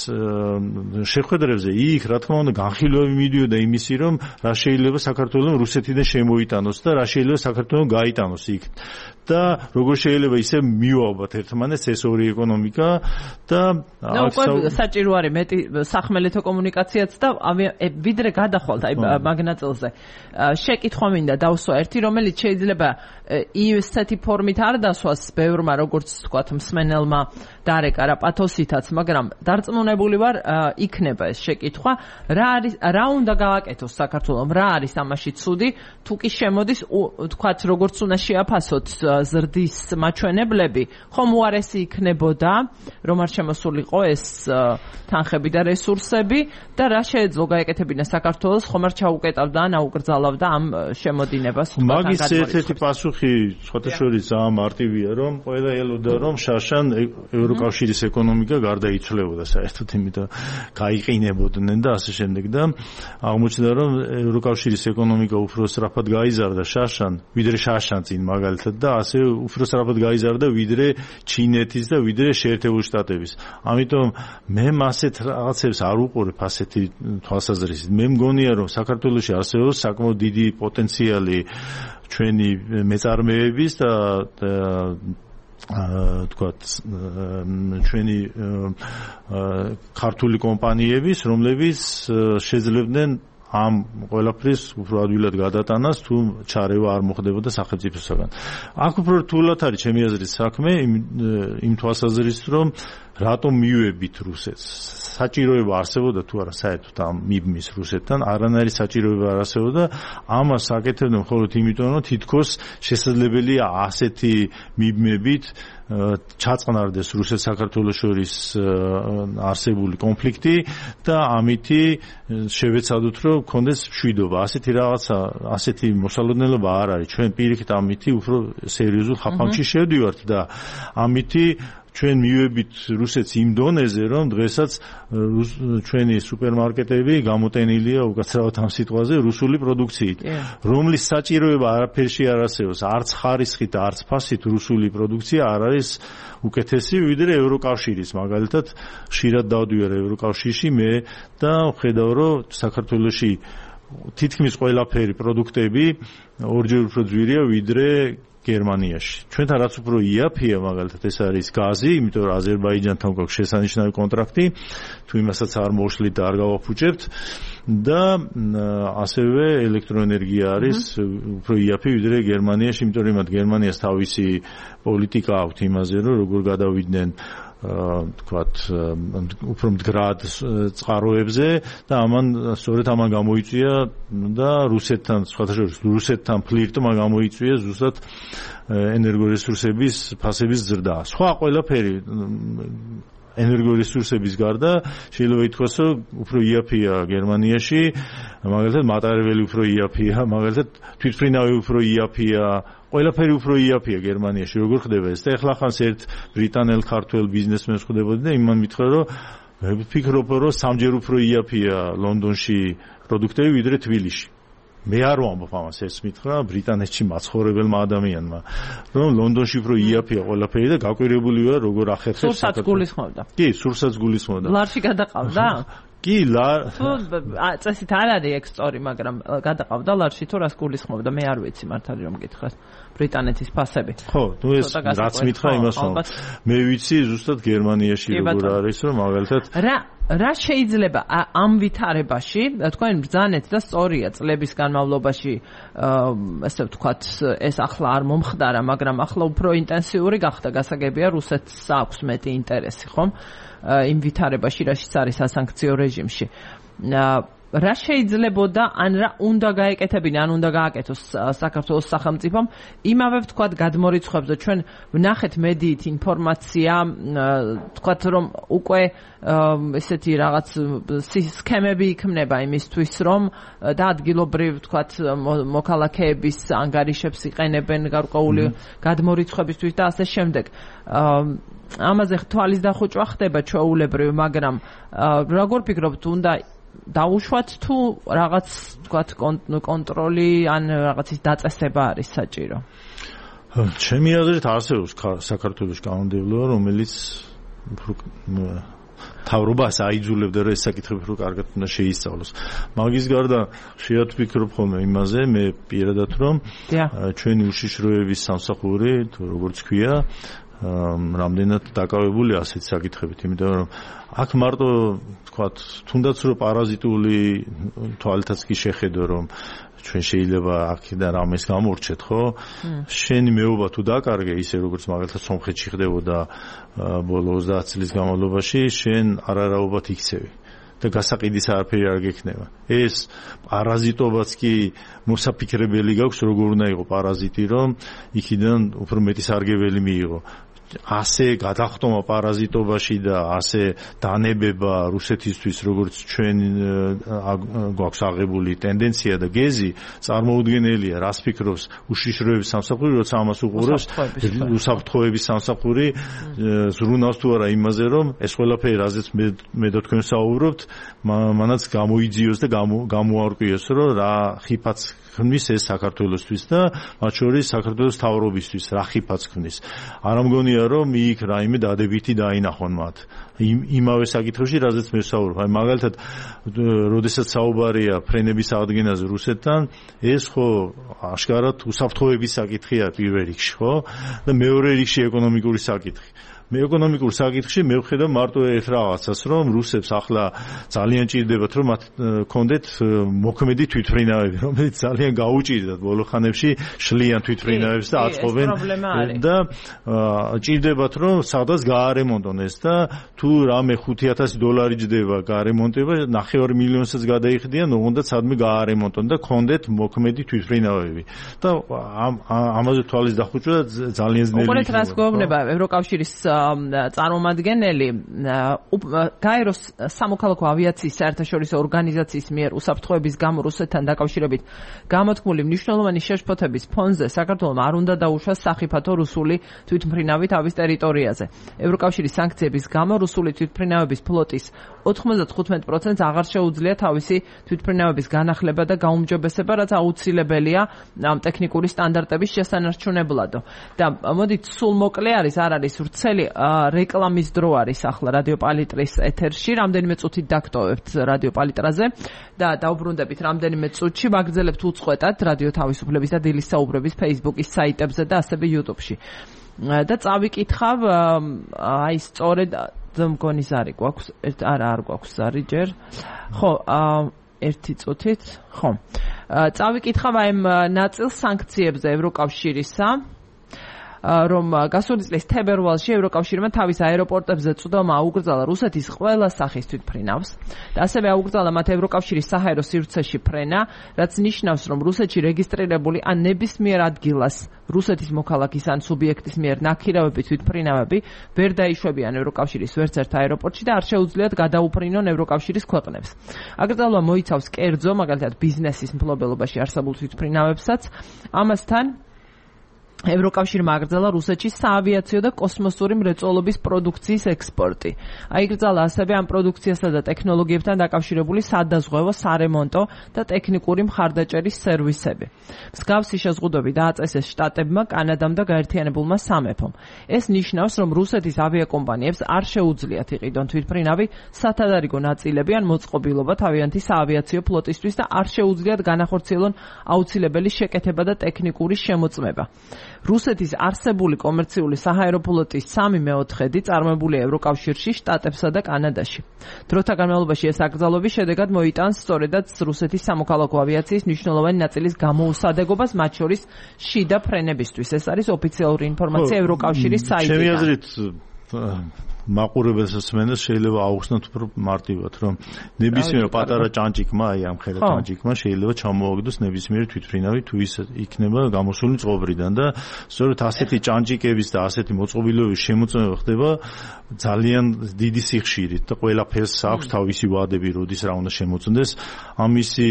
შეხვედრებზე, იქ რა თქმა უნდა განხილვები მიდიოდა იმისი, რომ რა შეიძლება საქართველოს რუსეთიდან შემოიტანოს და რა შეიძლება საქართველოს გაიტანოს იქ. და როგორ შეიძლება ისე მივაობათ ერთმანეთს ეს ორი ეკონომიკა და ნუ საჭირო არის მეტი სახმელეთო კომუნიკაციაც და ვიდრე გადახვალთ აი მაგნაწილზე შეკითხვა მინდა დავსვა ერთი, რომელიც შეიძლება ისეთი ფორმით არ დასვას ბევრმა, როგორც თქვათ მსმენელმა დარეკა რა პათოსითაც, მაგრამ დარწმუნებული ვარ იქნება ეს შეკითხვა, რა არის რა უნდა გავაკეთოს საქართველოს, რა არის ამაში ცუდი, თუ კი შემოდის თქვათ როგორც უნდა შეაფასოთ ზრდის მაჩვენებლები, ხომ უარესი იქნებოდა, რომ არ შემოსულიყო ეს თანხები და რესურსები და რა შეეძლო გაეკეთებინა საქართველოს, ხომ არ ჩაუკეტავდა ან აუკრძალავდა ამ შემოდინებას. მაგის ერთ-ერთი პასუხი სხვათა შორის ძალიან მარტივია, რომ ყველა ელოდა, რომ შარშან ევროკავშირის ეკონომიკა გარდაიცვლებოდა საერთოდ, იმიტომ გაიყინებოდნენ და ასე შემდეგ და აღმოჩნდა, რომ ევროკავშირის ეკონომიკა უფრო სწრაფად გაიზარდა შარშან, ვიდრე შარშან წინ მაგალითად და ასე უფრო სწრაფად გაიზარდა ვიდრე ჩინეთის და ვიდრე შეერთებული შტატების. ამიტომ მე ასეთ რაღაცებს არ უყურებ ასეთი თვალსაზრისით. მე მგონია, რომ საქართველოში არსებობს საკმაოდ დიდი პოტენციალი ჩვენი მეწარმეების და თქვათ ჩვენი ქართული კომპანიების, რომლებიც შეძლებდნენ ამ ყველაფრის უფრო ადვილად გადატანას, თუ ჩარევა არ მოხდებოდა სახელმწიფოსაგან. აქ უფრო რთულად არის ჩემი აზრით საქმე იმ თვალსაზრისით, რომ რატომ მივებით რუსეთს? საჭიროება არსებობდა თუ არა საერთოდ ამ მიბმის რუსეთთან? არანაირი საჭიროება არ არსებობდა. ამას აკეთებდნენ მხოლოდ იმიტომ, რომ თითქოს შესაძლებელია ასეთი მიბმებით ჩაწყნარდეს რუსეთ-საქართველოს შორის არსებული კონფლიქტი და ამითი შევეცადოთ, რომ გქონდეს მშვიდობა. ასეთი რაღაცა, ასეთი მოსალოდნელობა არ არის. ჩვენ პირიქით ამითი უფრო სერიოზულ ხაფანგში შევდივართ და ამითი ჩვენ მივებით რუსეთს იმ დონეზე, რომ დღესაც ჩვენი სუპერმარკეტები გამოტენილია უკაცრავად ამ სიტყვაზე რუსული პროდუქციით, რომლის საჭიროება არაფერში არ არსებობს, არც ხარისხით, არც ფასით რუსული პროდუქცია არ არის უკეთესი ვიდრე ევროკავშირის. მაგალითად, ხშირად დავდივარ ევროკავშირში მე და ვხედავ, რომ საქართველოში თითქმის ყველაფერი პროდუქტები ორჯერ უფრო ძვირია ვიდრე გერმანიაში. ჩვენთან რაც უფრო იაფია, მაგალითად ეს არის გაზი, იმიტომ რომ აზერბაიჯანთან გვაქვს შესანიშნავი კონტრაქტი, თუ იმასაც არ მოშლით და არ გავაფუჭებთ და ასევე ელექტროენერგია არის უფრო იაფი ვიდრე გერმანიაში, იმიტომ რომ გერმანიას თავისი პოლიტიკა აქვს იმაზე, რომ როგორ გადავიდნენ თქვათ უფრო მდგრად წყაროებზე და ამან სწორედ ამან გამოიწვია და რუსეთთან სხვათაშორის რუსეთთან ფლირტმა გამოიწვია ზუსტად ენერგორესურსების ფასების ზრდა. სხვა ყველაფერი ენერგორესურსების გარდა შეიძლება ითქვას, რომ უფრო იაფია გერმანიაში, მაგალითად მატარებელი უფრო იაფია, მაგალითად თვითმფრინავი უფრო იაფია, ყველაფერი უფრო იაფია გერმანიაში. როგორ ხდება ეს? და ეხლა ხანს ერთ ბრიტანელ ქართველ ბიზნესმენს ხვდებოდი და იმან მითხრა, რომ მე ვფიქრობ, რომ სამჯერ უფრო იაფია ლონდონში პროდუქტები ვიდრე თბილისში. მე არ ვამბობ ამას, ეს მითხრა ბრიტანეთში მაცხოვრებელმა ადამიანმა, რომ ლონდონში უფრო იაფია ყველაფერი და გაკვირებული ვარ როგორ ახერხებს. სურსაც გულისხმობდა. კი, სურსაც გულისხმობდა. ლარში გადაყავდა? კი, ლა წესით არ არის ეგ სწორი, მაგრამ გადაყავდა ლარში თუ რას გულისხმობდა, მე არ ვიცი მართალი რომ გითხრას. ბრიტანეთის ფასები. ხო, ნუ ეს რაც მითხრა იმას ვამბობ. მე ვიცი ზუსტად გერმანიაში როგორ არის, რომ მაგალითად რა რა შეიძლება ამ ვითარებაში, თქვენ ბრძანეთ და სწორია წლების განმავლობაში, ესე ვთქვათ, ეს ახლა არ მომხდარა, მაგრამ ახლა უფრო ინტენსიური გახდა, გასაგებია რუსეთს აქვს მეტი ინტერესი, ხომ? იმ ვითარებაში, რაშიც არის სასანქციო რეჟიმში. რა შეიძლებოდა, ან რა უნდა გაეკეთებინა, ან უნდა გააკეთოს საქართველოს სახელმწიფომ იმავე ვთქვათ გადმორიცხვებზე. ჩვენ ვნახეთ მედიით ინფორმაცია, ვთქვათ რომ უკვე ესეთი რაღაც სქემები იქმნება იმისთვის, რომ და ადგილობრივ ვთქვათ მოქალაქეების ანგარიშებს იყენებენ გარკვეული გადმორიცხვებისთვის და ასე შემდეგ. ამაზე თვალის დახუჭვა ხდება ჩვეულებრივ, მაგრამ როგორ ფიქრობთ, უნდა დაუშვათ თუ რაღაც თქვათ კონტროლი ან რაღაცის დაწესება არის საჭირო? ჩემი აზრით არსებობს საქართველოს კანონმდებლობა, რომელიც თავრობას აიძულებდა, რომ ეს საკითხები უფრო კარგად უნდა შეისწავლოს. მაგის გარდა ხშირად ვფიქრობ ხოლმე იმაზე, მე პირადად რომ ჩვენი უშიშროების სამსახური, როგორც ქვია, რამდენად დაკავებული ასეთ საკითხებით, იმიტომ რომ აქ მარტო თქვათ, თუნდაც რომ პარაზიტული თვალითაც კი შეხედო, რომ ჩვენ შეიძლება აქედან რამეს გამორჩეთ, ხო? შენი მეუბა თუ დაკარგე, ისე როგორც მაგალითად სომხეთში ხდებოდა ბოლო ოცდაათ წლის განმავლობაში, შენ არარაობად იქცევი და გასაყიდის არაფერი არ გექნება. ეს პარაზიტობაც კი მოსაფიქრებელი გაქვს, როგორ უნდა იყო პარაზიტი, რომ იქიდან უფრო მეტი სარგებელი მიიღო. ასე გადახტომა პარაზიტობაში და ასე დანებება რუსეთისთვის, როგორც ჩვენ გვაქვს აღებული ტენდენცია და გეზი, წარმოუდგენელია, რას ფიქრობს უშიშროების სამსახური, როცა ამას უყურებს უსაფრთხოების სამსახური, ზრუნავს თუ არა იმაზე, რომ ეს ყველაფერი, რაზეც მე და თქვენ საუბრობთ, მანაც გამოიძიოს და გამოარკვიოს, რომ რა ხიფაც ხმის ეს საქართველოსთვის და მათ შორის საქართველოს თავრობისთვის რა ხიფაც ხმის. არ ამგონია რომ იქ რაიმე დადებითი დაინახონ მათ. იმავე საკითხებში, რაზეც მე ვსაუბრობ. აი მაგალითად, როდესაც საუბარია ფრენების აღდგენაზე რუსეთთან, ეს ხო აშკარად უსაფრთხოების საკითხია პირველ რიგში, ხო? და მეორე რიგში ეკონომიკური საკითხი. მე ეკონომიკურ საკითხში მე ვხედავ მარტო ერთ რაღაცას, რომ რუსებს ახლა ძალიან ჭირდებათ, რომ მათ კონდეთ მოქმედი თვითმფრინავები, რომელიც ძალიან გაუჭირდათ ბოლო ხანებში, შლიან თვითმფრინავებს და აწყობენ და ჭირდებათ, რომ სადაც გაარემონტონ ეს და თუ რამე ხუთი ათასი დოლარი ჯდება გაარემონტება, ნახევარ მილიონსაც გადაიხდიან, ოღონდ სადმე გაარემონტონ და კონდეთ მოქმედი თვითმფრინავები. და ამაზე თვალის დახუჭვა ძალიან ძნელი იქნება. უყურეთ რას გვეუბნება ევროკავშირის წარმომადგენელი გაეროს სამოქალაქო ავიაციის საერთაშორისო ორგანიზაციის მიერ უსაფრთხოების გამო რუსეთთან დაკავშირებით გამოთქმული მნიშვნელოვანი შეშფოთების ფონზე საქართველოს არ უნდა დაუშვას სახიფათო რუსული თვითმფრინავი თავის ტერიტორიაზე. ევროკავშირის სანქციების გამო რუსული თვითმფრინავების ფლოტის ოთხმოცდახუთ პროცენტს აღარ შეუძლია თავისი თვითმფრინავების განახლება და გაუმჯობესება, რაც აუცილებელია ამ ტექნიკური სტანდარტების შესანარჩუნებლად. და მოდით სულ მოკლე არის, არ არის ვრცელი რეკლამის დრო არის ახლა რადიო პალიტრის ეთერში, რამდენიმე წუთით დაგტოვებთ რადიო პალიტრაზე და დაუბრუნდებით რამდენიმე წუთში, ვაგრძელებთ უწყვეტად რადიო თავისუფლების და დილის საუბრების Facebook-ის საიტებზე და ასევე YouTube-ში. და წავიკითხავ აი სწორედ მგონი ზარი გვაქვს, არა არ გვაქვს ზარი ჯერ. ხო, ერთი წუთით, ხო. წავიკითხავ აი ნაწილ სანქციებზე ევროკავშირისა, რომ გასული წლის თებერვალში ევროკავშირმა თავის აეროპორტებზე წვდომა აუკრძალა რუსეთის ყველა სახის თვითმფრინავს და ასევე აუკრძალა მათ ევროკავშირის საჰაერო სივრცეში ფრენა, რაც ნიშნავს, რომ რუსეთში რეგისტრირებული ან ნებისმიერ ადგილას რუსეთის მოქალაქის ან სუბიექტის მიერ ნაქირავები თვითმფრინავები ვერ დაიშვებიან ევროკავშირის ვერც ერთ აეროპორტში და არ შეუძლიათ გადაუფრინონ ევროკავშირის ქვეყნებს. აკრძალვა მოიცავს კერძო, მაგალითად ბიზნესის მფლობელობაში არსებულ თვითმფრინავებსაც, ამასთან ევროკავშირმა აკრძალა რუსეთში საავიაციო და კოსმოსური მრეწველობის პროდუქციის ექსპორტი. აიკრძალა ასევე ამ პროდუქციასა და ტექნოლოგიებთან დაკავშირებული სადაზღვევო, სარემონტო და ტექნიკური მხარდაჭერის სერვისები. მსგავსი შეზღუდვები დააწესეს შტატებმა, კანადამ და გაერთიანებულმა სამეფომ. ეს ნიშნავს, რომ რუსეთის ავიაკომპანიებს არ შეუძლიათ იყიდონ თვითმფრინავი სათადარიგო ნაწილები ან მოწყობილობა თავიანთი საავიაციო ფლოტისთვის და არ შეუძლიათ განახორციელონ აუცილებელი შეკეთება და ტექნიკური შემოწმება. რუსეთის არსებული კომერციული საჰაერო ფლოტის სამი მეოთხედი წარმოებულია ევროკავშირში, შტატებსა და კანადაში. დროთა განმავლობაში ეს აკრძალვების შედეგად მოიტანს სწორედაც რუსეთის სამოქალაქო ავიაციის მნიშვნელოვანი ნაწილის გამოუსადეგობას, მათ შორის შიდა ფრენებისთვის. ეს არის ოფიციალური ინფორმაცია ევროკავშირის საიტიდან. ჩემი აზრით მაყურებელს მსმენელს შეიძლება აუხსნათ უფრო მარტივად, რომ ნებისმიერ პატარა ჭანჭიკმა, აი ამ ხელა ჭანჭიკმა შეიძლება ჩამოაგდოს ნებისმიერი თვითმფრინავი, თუ ის იქნება გამოსული წყობრიდან და სწორედ ასეთი ჭანჭიკების და ასეთი მოწყობილობების შემოწმება ხდება ძალიან დიდი სიხშირით და ყველაფერს აქვს თავისი ვადები, როდის რა უნდა შემოწმდეს. ამისი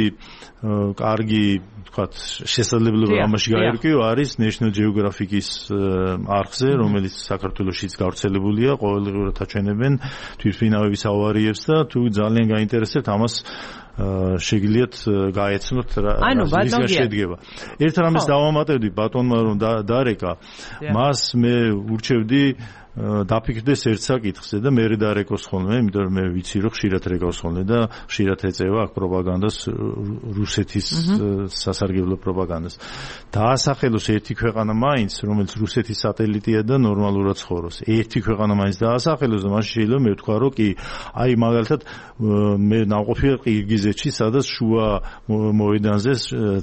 კარგი, თქვათ, შესაძლებლობა ამაში გაერკვიო არის National Geographic-ის არხზე, რომელიც საქართველოშიც გავრცელებულია, ყოველდღიურად აჩვენებენ თვითმფრინავების ავარიებს და თუ ძალიან გაინტერესებთ ამას შეგიძლიათ გაეცნოთ რა რისგან შედგება. ერთ რამეს დავამატებდი ბატონმა რომ დარეკა, მას მე ურჩევდი დაფიქრდეს ერთ საკითხზე და მე დარეკოს ხოლმე, იმიტომ რომ მე ვიცი რომ ხშირად რეკავს ხოლმე და ხშირად ეწევა აქ პროპაგანდას, რუსეთის სასარგებლო პროპაგანდას. დაასახელოს ერთი ქვეყანა მაინც, რომელიც რუსეთის სატელიტია და ნორმალურად ცხოვრობს. ერთი ქვეყანა მაინც დაასახელოს და მაშინ შეიძლება მე ვთქვა რომ კი, აი მაგალითად მე ნავყოფია ყირგიზეთში, სადაც შუა მოედანზე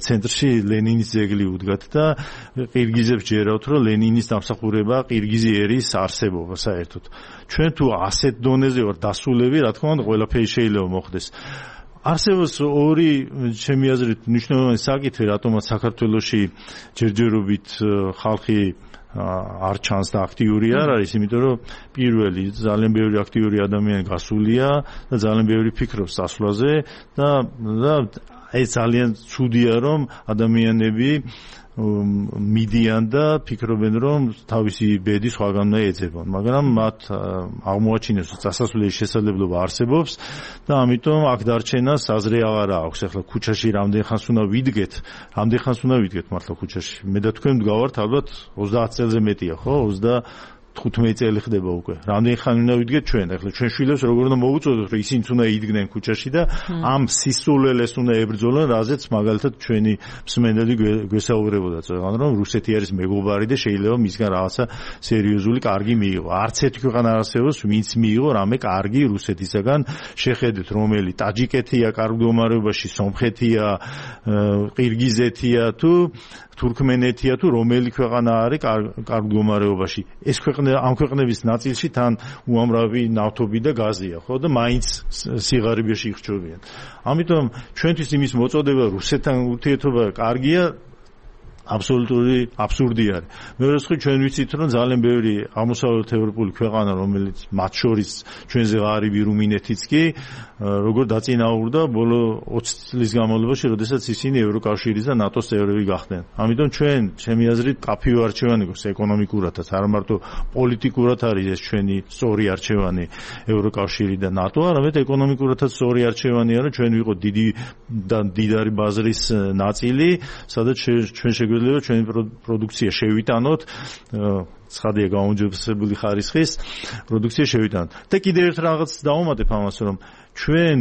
ცენტრში ლენინის ძეგლი უდგათ და ყირგიზებს ჯერავთ რომ ლენინის დამსახურება ყირგიზი ერის არსებობა საერთოდ. ჩვენ თუ ასეთ დონეზე ვარ დასულები, რა თქმა უნდა, ყველაფერი შეიძლება მოხდეს. არსებობს ორი, ჩემი აზრით, მნიშვნელოვანი საკითხი, რატომაც საქართველოში ჯერჯერობით ხალხი არ ჩანს და აქტიური არ არის, იმიტომ რომ პირველი ძალიან ბევრი აქტიური ადამიანი გასულია და ძალიან ბევრი ფიქრობს წასვლაზე და და ეს ძალიან ცუდია რომ ადამიანები მიდიან და ფიქრობენ რომ თავისი ბედი სხვაგან უნდა ეძებონ, მაგრამ მათ აღმოაჩინეს რომ წასასვლელის შესაძლებლობა არსებობს და ამიტომ აქ დარჩენას აზრი აღარ აქვს. ახლა ქუჩაში რამდენ ხანს უნდა ვიდგეთ, რამდენ ხანს უნდა ვიდგეთ მართლა ქუჩაში. მე და თქვენ ვდგავართ ალბათ ოცდაათ წელზე მეტია, ხო? ოცდათხუთმეტი წელი ხდება უკვე. რამდენ ხანი უნდა ვიდგეთ ჩვენ? ახლა ჩვენ შვილებს როგორ უნდა მოუწოდოთ, რომ ისინიც უნდა იდგნენ ქუჩაში და ამ სისულელეს უნდა ებრძოლონ, რაზეც მაგალითად ჩვენი მსმენელი გვესაუბრებოდა, წეგან რომ რუსეთი არის მეგობარი და შეიძლება მისგან რაღაცა სერიოზული კარგი მიიღო. არც ერთი ქვეყანა არ არსებობს, ვინც მიიღო რამე კარგი რუსეთისაგან. შეხედეთ, რომელი ტაჯიკეთია კარგ მდგომარეობაში, სომხეთია, ყირგიზეთია თუ თურქმენეთია თუ რომელი ქვეყანა არის კარგ მდგომარეობაში. ეს ქვეყნები ამ ქვეყნების ნაწილში თან უამრავი ნავთობი და გაზია, ხო და მაინც სიღარიბეში იხჩობიან. ამიტომ ჩვენთვის იმის მოწოდება რუსეთთან ურთიერთობა კარგია, აბსოლუტური აბსურდი არის. მეორე მხრივ ჩვენ ვიცით რომ ძალიან ბევრი აღმოსავლეთ ევროპული ქვეყანა რომელიც მათ შორის ჩვენზე ღარიბი რუმინეთიც კი როგორ დაწინაურდა ბოლო ოცი წლის განმავლობაში, როდესაც ისინი ევროკავშირის და ნატოს წევრები გახდნენ. ამიტომ ჩვენ, ჩემი აზრით, კაფიო არჩევანი გვაქვს ეკონომიკურადაც, არა მარტო პოლიტიკურად არის ეს ჩვენი სწორი არჩევანი ევროკავშირი და ნატო, არამედ ეკონომიკურადაც სწორი არჩევანია, რომ ჩვენ ვიყოთ დიდი და დიდარი ბაზრის ნაწილი, სადაც ჩვენ შეგვიძლია ჩვენი პროდუქცია შევიტანოთ, ცხადია გაუმჯობესებული ხარისხის პროდუქცია შევიტანოთ. და კიდევ ერთ რაღაც დავუმატებ ამას, რომ ჩვენ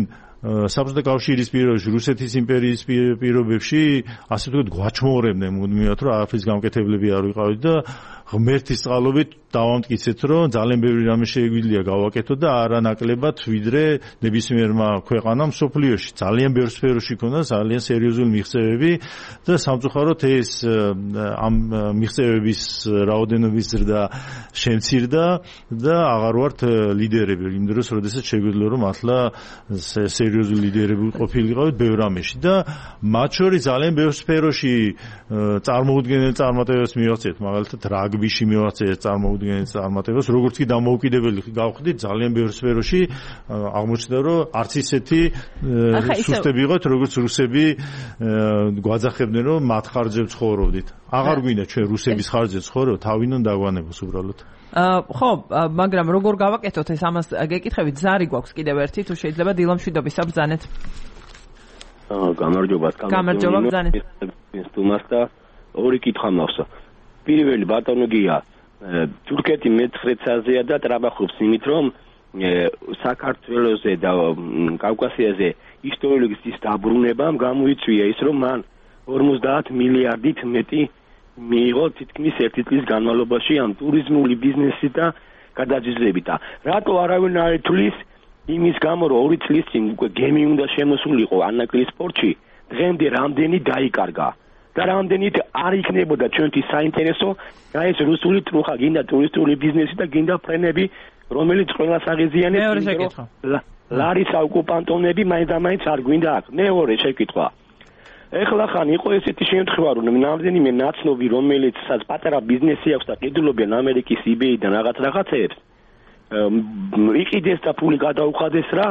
საბჭოთა კავშირის პირობებში, რუსეთის იმპერიის პირობებში, ასე ვთქვათ, გვაჩმოვრებდნენ მუდმივად, რომ არაფრის გამკეთებლები არ ვიყავით და ღმერთის წყალობით დავამტკიცეთ, რომ ძალიან ბევრი რამე შეგვიძლია გავაკეთოთ და არანაკლებად ვიდრე ნებისმიერმა ქვეყანამ მსოფლიოში. ძალიან ბევრ სფეროში ქონდა ძალიან სერიოზული მიღწევები და სამწუხაროდ ეს ამ მიღწევების რაოდენობის ზრდა შემცირდა და აღარ ვართ ლიდერები იმ დროს, როდესაც შეგვიძლია რომ მართლა სერიოზული ლიდერები ყოფილიყავით ბევრ რამეში და მათ შორის ძალიან ბევრ სფეროში წარმოუდგენელ წარმატებას მივაღწიეთ, მაგალითად რაგბიში მივაღწიეთ წარმოუდგენელ წარმატებას, როგორც კი დამოუკიდებელი გავხდით ძალიან ბევრ სფეროში აღმოჩნდა, რომ არც ისეთი სუსტები იყავით, როგორც რუსები გვაძახებდნენ, რომ მათ ხარჯებს ცხოვრობდით. აღარ გვინდა ჩვენ რუსების ხარჯებს ცხოვრობ, თავიდან დაგვანებოს უბრალოდ. ხო, მაგრამ როგორ გავაკეთოთ ეს, ამას გეკითხებით, ზარი გვაქვს კიდევ ერთი, თუ შეიძლება დილამშვიდობის აბრძანეთ. გამარჯობა, გამარჯობა ბრძანეთ. სტუმარს და ორი კითხვა მაქვს. პირველი ბატონო გია, თურქეთი მეცხრე წაზეა და ტრაბახობს იმით, რომ საქართველოზე და კავკასიაზე ისტორიული გზის დაბრუნებამ გამოიწვია ის, რომ მან ორმოცდაათ მილიარდით მეტი მიიღო თითქმის ერთი წლის განმავლობაში ამ ტურიზმული ბიზნესით და გადაჯილდოებით. რატო არავინ არ ითვლის იმის გამო, რომ ორი წლის წინ უკვე გემი უნდა შემოსულიყო ანაკლის პორტში, დღემდე რამდენი დაიკარგა და რამდენით არ იქნებოდა ჩვენთვის საინტერესო და ეს რუსული ტრუხა, გინდა ტურისტული ბიზნესი და გინდა ფრენები, რომელიც ყველას აღიზიანებს. მეორე შეკითხვა. ლარისა ოკუპანტონები მაინც და მაინც არ გვინდა აქ. მეორე შეკითხვა. ეხლა ხან იყო ესეთი შემთხვევა, რომ რამდენიმე ნაცნობი, რომელიც პატარა ბიზნესი აქვს და ყიდულობენ ამერიკის იბეიდან რაღაც რაღაცებს, იყიდეს და ფული გადაუხადეს რა,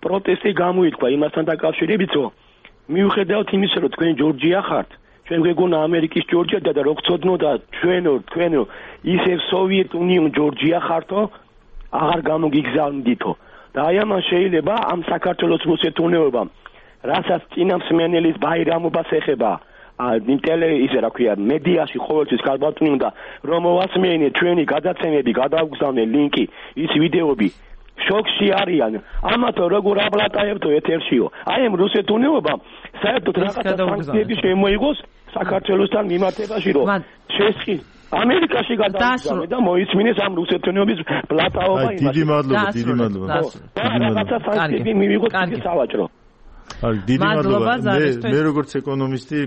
პროტესტი გამოითქვა იმასთან დაკავშირებით, რომ მიუხედავად იმისა, რომ თქვენ ჯორჯია ხართ, ჩვენ გვეგონა ამერიკის ჯორჯია და რო გწოდნო და ჩვენო თქვენო ისევ სოვიეტ უნიონ ჯორჯია ხართო, აღარ გამოგიგზავნიდითო. და აი ამან შეიძლება ამ საქართველოს რუსეთუნეობამ, რასაც წინამსმენელის ბაირამობას ეხება, ინტელე ისე რა ქვია, მედიაში ყოველთვის ქალბატონი უნდა რომ მოვასმენე ჩვენი გადაცემები, გადავგზავნე ლინკი, ის ვიდეოები. შოქში არიან. ამათო როგორ აბლატაებთო ეთერშიო. აი ამ რუსეთუნეობამ საერთოდ რაღაცა სანქციები შემოიღოს საქართველოსთან მიმართებაში, რომ შესხი ამერიკაში გადაასწროს და მოიწმინეს ამ რუსეთუნეობის ბლატაობა იმას. დიდი მადლობა, დიდი მადლობა. და რაღაცა სანქციები მივიღოთ ის სავაჭრო. აი, დიდი მადლობა. მე როგორც ეკონომისტი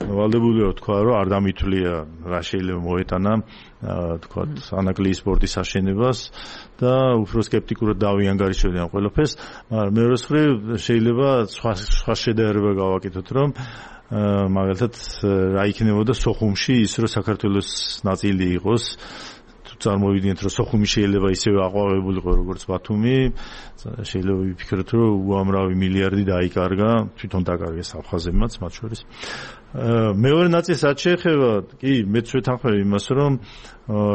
ვალდებული ვარ თქვა, რომ არ დამითვლია რა შეიძლება მოეტანა თქვა ანაკლის სპორტის აშენებას და უფრო სკეპტიკურად დავიანგარიშებდი ამ ყველაფერს, მაგრამ მეორე მხრივ შეიძლება სხვა სხვა შედარება გავაკეთოთ, რომ მაგალითად რა იქნებოდა სოხუმში ის, რომ საქართველოს ნაწილი იყოს, წარმოვიდგინეთ, რომ სოხუმი შეიძლება ისევე აყვავებულიყო როგორც ბათუმი, შეიძლება ვიფიქროთ, რომ უამრავი მილიარდი დაიკარგა, თვითონ დაკარგეს აფხაზებმაც მათ შორის. მეორე ნაწილს რაც შეეხება, კი, მეც ვეთანხმები იმას, რომ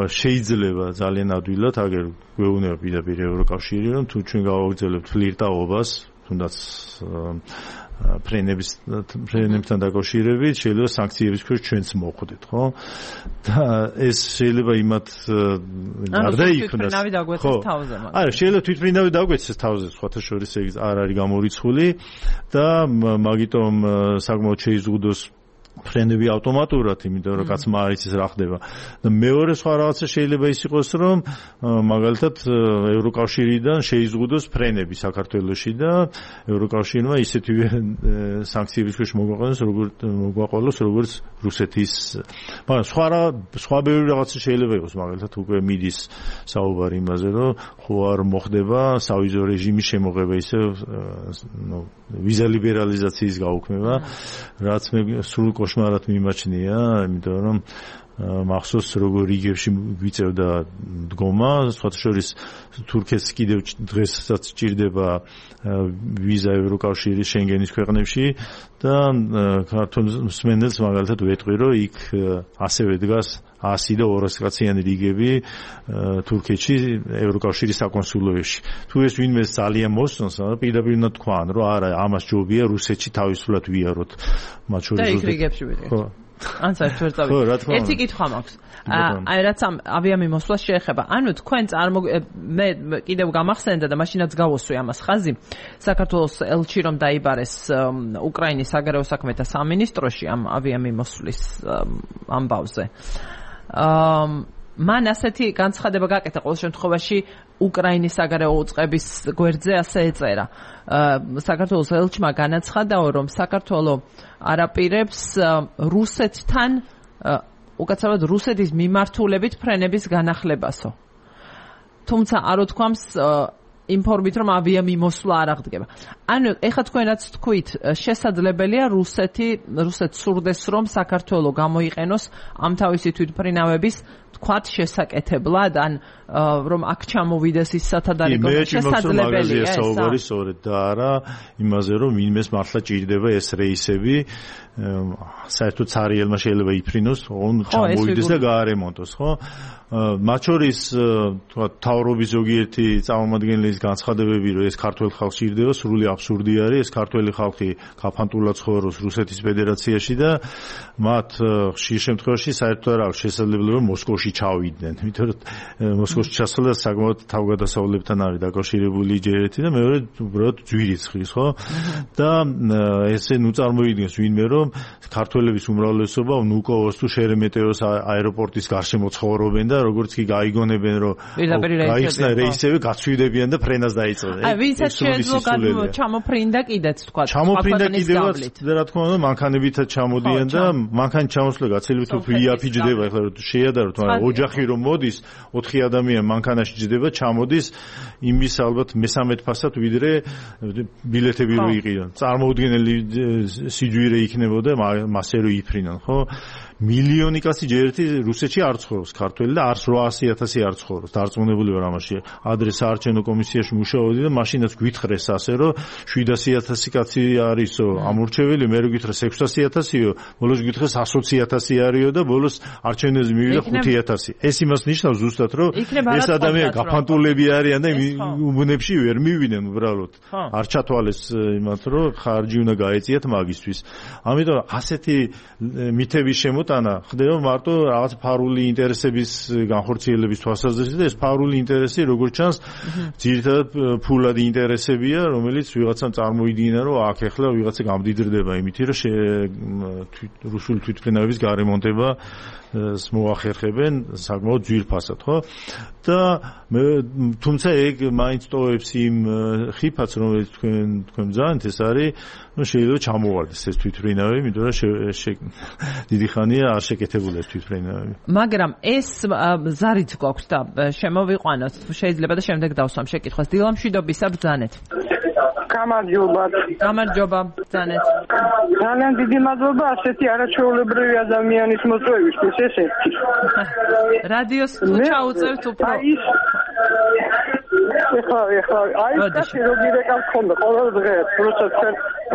შეიძლება ძალიან ადვილად, აგერ გვეუბნება პირდაპირ ევროკავშირი, რომ თუ ჩვენ გავაგრძელებთ ფლირტაობას, თუნდაც ფრენების ფრენებთან დაკავშირებით, შეიძლება სანქციების ქვეშ ჩვენც მოხვდეთ, ხო? და ეს შეიძლება იმათ გარდა იქნას. ხო. არა, შეიძლება თვითმფრინავი დაგვეცეს თავზე, სხვათა შორის ეს არ არის გამორიცხული და მაგიტომ საკმაოდ შეიზღუდოს ფრენები ავტომატურად, იმიტომ რომ კაცმა არ იცის რა ხდება. და მეორე სხვა რაღაცა შეიძლება ის იყოს, რომ მაგალითად ევროკავშირიდან შეიზღუდოს ფრენები საქართველოში და ევროკავშირმა ისეთივე სანქციების ქვეშ მოგვაყენოს, როგორც მოგვაყოლოს, როგორც რუსეთის. მაგრამ სხვა სხვა ბევრი რაღაცა შეიძლება იყოს, მაგალითად უკვე მიდის საუბარი იმაზე, რომ ხო არ მოხდება სავიზო რეჟიმის შემოღება, ისე ნუ ვიზა ლიბერალიზაციის გაუქმება, რაც მე სრულ კოშმარად მიმაჩნია, იმიტომ რომ მახსოვს როგორ რიგებში გვიწევდა დგომა, სხვათა შორის თურქეთს კიდევ დღესაც ჭირდება ვიზა ევროკავშირის შენგენის ქვეყნებში და ქართულ მსმენელს მაგალითად ვეტყვი, რომ იქ ასევე დგას ასი და ორასი კაციანი რიგები თურქეთში ევროკავშირის საკონსულოებში. თუ ეს ვინმე ძალიან მოსწონს, პირდაპირ უნდა თქვან, რომ არა, ამას ჯობია რუსეთში თავისუფლად ვიაროთ. მათ შორის და იქ რიგებში ვიდეთ. ან საერთოდ ვერ წავიდეთ. ერთი კითხვა მაქვს. აი რაც ამ ავიამიმოსვლას შეეხება. ანუ თქვენ წარმო მე კიდევ გამახსენდა და მაშინაც გავოსვი ამას ხაზი. საქართველოს ელჩი რომ დაიბარეს უკრაინის საგარეო საქმეთა სამინისტროში ამ ავიამიმოსვლის ამბავზე. აა მან ასეთი განცხადება გაკეთა ყოველ შემთხვევაში უკრაინის საგარეო უწყების გვერდზე ასე ეწერა. საქართველოს ელჩმა განაცხადა, რომ საქართველო არაპირებს რუსეთთან უკაცრავად რუსეთის მიმართულებით ფრენების განახლებასო. თუმცა არ უთქვამს ინფორმით, რომ ავიამიმოსვლა არ აღდგება. ანუ ეხლა თქვენაც თქვით, შესაძლებელია რუსეთი რუსეთს სურდეს, რომ საქართველო გამოიყენოს ამ თავისი თვითმფრინავების თქვათ შესაკეთებლად, ან რომ აქ ჩამოვიდეს ის სათადარიგო შესაძლებელია ეს. საუბარი სწორედ და არა იმაზე, რომ ვინმეს მართლა ჭირდება ეს რეისები, საერთოდ ცარიელმა შეიძლება იფრინოს, on ჩამოვიდეს და გაარემონტოს, ხო? მათ შორის თქვა თავრობის ზოგიერთი წარმომადგენლის განცხადებები, რომ ეს ქართველ ხალხს ჭირდება, სრული აბსურდი არის. ეს ქართველი ხალხი გაფანტულად ცხოვრობს რუსეთის ფედერაციაში და მათ ხშირ შემთხვევაში საერთოდ არ აქვს შესაძლებლობა, რომ მოსკოვში ჩავიდნენ. იმიტომ რომ მოსკოვში ჩასვლა საკმაოდ თავგადასავლებთან არის დაკავშირებული ჯერეთი და მეორე უბრალოდ ძვირიცხვის, ხო? და ესე ნუ წარმოიდგინოს ვინმე, რომ ქართველების უმრავლესობა ნუკოვოს თუ შერემეტეოს აეროპორტის გარშემო ცხოვრობენ და როგორც კი გაიგონებენ, რომ გაიხსნა რეისები, გაცვიდებიან და ფრენას დაიწყებენ. აი, ვინცაც შეეძლო ჩამოფრინდა კიდეც თქვა. ჩამოფრინდა კიდევაც და რა თქმა უნდა, მანქანებითაც ჩამოდიან და მანქანის ჩამოსვლა გაცილებით უფრო იაფიჯდება, ეხლა რომ შეადაროთ, მაგრამ ოჯახი რომ მოდის, ოთხი ადამიანი მანქანაში ჯდება, ჩამოდის იმის ალბათ მესამედ ფასად ვიდრე ბილეთები რო იყიდონ. წარმოუდგენელი სიძვირე იქნებოდა მასე რო იფრინან, ხო? მილიონი კაცი ჯერეთი რუსეთში არ ცხოვრობს ქართველი და არასროასი ათასი არ ცხოვრობს. დარწმუნებული ვარ ამაში. ადრე საარჩევნო კომისიაში მუშაობდი და მაშინაც გვითხრეს ასე, რომ შვიდასი ათასი კაცი არისო ამორჩეველი, მე რო გითხრეს ექვსასი ათასიო, ბოლოს გითხრეს ასოცი ათასი არისო და ბოლოს არჩევნებზე მივიდა ხუთი ათასი. ეს იმას ნიშნავს ზუსტად, რომ ეს ადამიანი გაფანტულები არიან და უბნებში ვერ მივიდნენ უბრალოდ. არ ჩათვალეს იმათ, რომ ხარჯი უნდა გაეწიათ მაგისთვის. ამიტომ ასეთი მითების შემო ტანა ხდება მარტო რაღაც ფარული ინტერესების განხორციელების თვალსაზრისით და ეს ფარული ინტერესი როგორც ჩანს ძირითადად ფულადი ინტერესებია, რომელიც ვიღაცამ წარმოიდგინა, რომ აქ ახლა ვიღაცა გამდიდრდება იმით, რომ რუსული თვითმფრინავების გარემონტება მოახერხებენ საკმაოდ ძვირფასად, ხო? და თუმცა ეგ მაინც ტოვებს იმ ხიფათს, რომელიც თქვენ თქვენ ძალიან ეს არის, ну შეიძლება ჩამოვარდეს ეს თვითმფრინავები, იმიტომ რომ დიდი ხანია არ შეკეთებულა ეს თვითმფრინავები. მაგრამ ეს ზარიც გვაქვს და შემოვიყვანოთ, შეიძლება და შემდეგ დავსვამ შეკითხვას. დილამშვიდობისა ბრძანეთ. გამარჯობა. გამარჯობა, ბრძანეთ. ძალიან დიდი მადლობა ასეთი არაჩვეულებრივი ადამიანის მოწვევისთვის, ეს ერთი. რადიოს ჩაუწევთ უფრო. ეხლა ეხლა აი კაცი როგორი რეკავს ხონდა ყოველ დღეს, როცა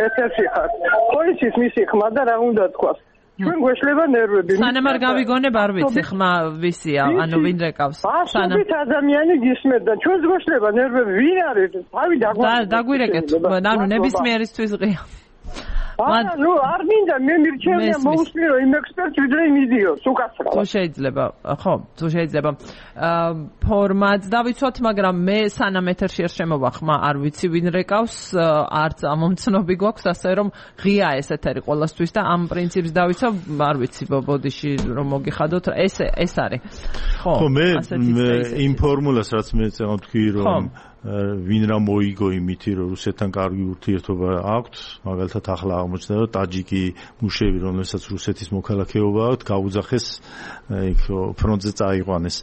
ეთერში ხარ. პოლიციის მისი ხმა და რა უნდა თქვას? ჩვენ გვეშლება ნერვები. სანამ არ გავიგონებ არ ვიცი ხმა ვისია, ანუ ვინ რეკავს. სანამ ადამიანი გისმენთ და ჩვენ გვეშლება ნერვები, ვინ არის? თავი დაგვირეკეთ. დაგვირეკეთ, ანუ ნებისმიერისთვის ღია. არა, ნუ არ მინდა მე მირჩევნია მოусმინო იმ ექსპერტს ვიდრე იმ იდიოტს უკაცრავად. თუ შეიძლება, ხო, თუ შეიძლება. ფორმატს დავიცვათ, მაგრამ მე სანამ ეთერში არ შემოვახმა, არ ვიცი ვინ რეკავს, არც ამომცნობი გვაქვს, ასე რომ ღია ეს ეთერი ყველასთვის და ამ პრინციპს დავიცავ, არ ვიცი ბოდიში რომ მოგიხადოთ, ეს ეს არის. ხო, ხო, მე იმ ფორმულას რაც მე წეღავ თქვი რომ ვინ რა მოიგო იმითი რომ რუსეთთან კარგი ურთიერთობა აქვთ, მაგალითად ახლა აღმოჩნდა რომ ტაჯიკი მუშები, რომელსაც რუსეთის მოქალაქეობა აქვთ, გაუძახეს იქ ფრონტზე წაიყვანეს.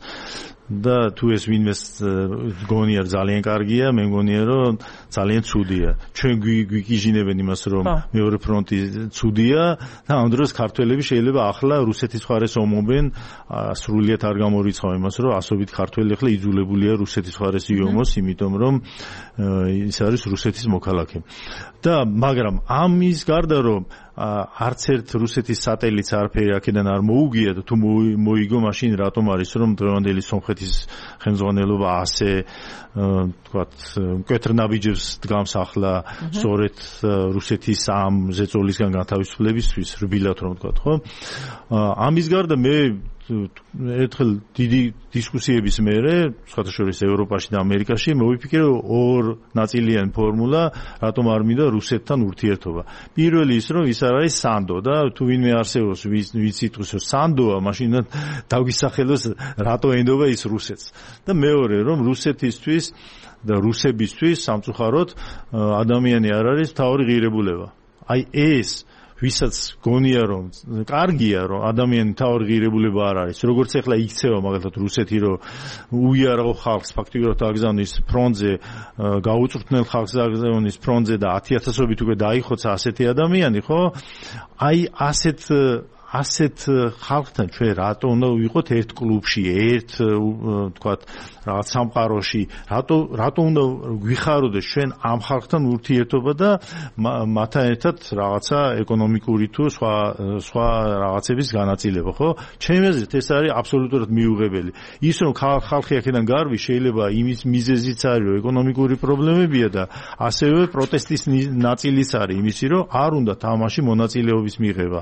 და თუ ეს ვინმეს გონია ძალიან კარგია, მე მგონია რომ ძალიან ცუდია. ჩვენ გვიგიჟინებენ იმას რომ მეორე ფრონტი ცუდია და ამ დროს ქართველები შეიძლება ახლა რუსეთის მხარეს ომობენ, სრულიად არ გამორიცხავ იმას რომ ასობით ქართველი ახლა იძულებულია რუსეთის მხარეს იომოს, იმიტომ რომ ის არის რუსეთის მოქალაქე. და მაგრამ ამის გარდა რომ არც ერთ რუსეთის სატელიტს არაფერი აქედან არ მოუგია და თუ მოიგო მაშინ რატომ არის რომ დღევანდელი სომხეთის ხელმძღვანელობა ასე თქვათ მკვეთრნაბიჯებს დგამს ახლა სწორედ რუსეთის ამ ზეწოლისგან განთავისუფლებისთვის რბილად რომ თქვათ ხო ამის გარდა მე ერთხელ დიდი დისკუსიების მერე, სხვადასხვა ევროპაში და ამერიკაში მოვიფიქრე ორ ნაწილიანი ფორმულა, რატომ არ მინდა რუსეთთან ურთიერთობა. პირველი ის, რომ ის არ არის სანდო და თუ ვინმე არსებობს, ვინც იტყვის, რომ სანდოა, მაშინ დაგვისახელოს რატო ენდობა ის რუსეთს. და მეორე, რომ რუსეთისთვის და რუსებისთვის სამწუხაროდ ადამიანი არ არის მთავარი ღირებულება. აი ეს ვისაც გონია რომ კარგია რომ ადამიანი თავი ღირებულება არ არის როგორც ახლა იქცევა მაგალითად რუსეთი რომ უიარაღო ხალხს ფაქტიურად აგზავნის ფრონტზე გაუწვრთნელ ხალხს აგზავნის ფრონტზე და ათი ათასობით უკვე დაიხოცა ასეთი ადამიანი ხო აი ასეთ ასეთ ხალხთან ჩვენ რატო უნდა ვიყოთ ერთ კლუბში ერთ თქვათ რაღაც სამყაროში რატო რატო უნდა გვიხაროდეს ჩვენ ამ ხალხთან ურთიერთობა და მათთან ერთად რაღაცა ეკონომიკური თუ სხვა სხვა რაღაცების განაწილება ხო ჩემი აზრით ეს არის აბსოლუტურად მიუღებელი ის რომ ხალხი აქედან გარბი შეიძლება იმის მიზეზიც არის რომ ეკონომიკური პრობლემებია და ასევე პროტესტის ნაწილიც არის იმისი რომ არ უნდა თამაში მონაწილეობის მიღება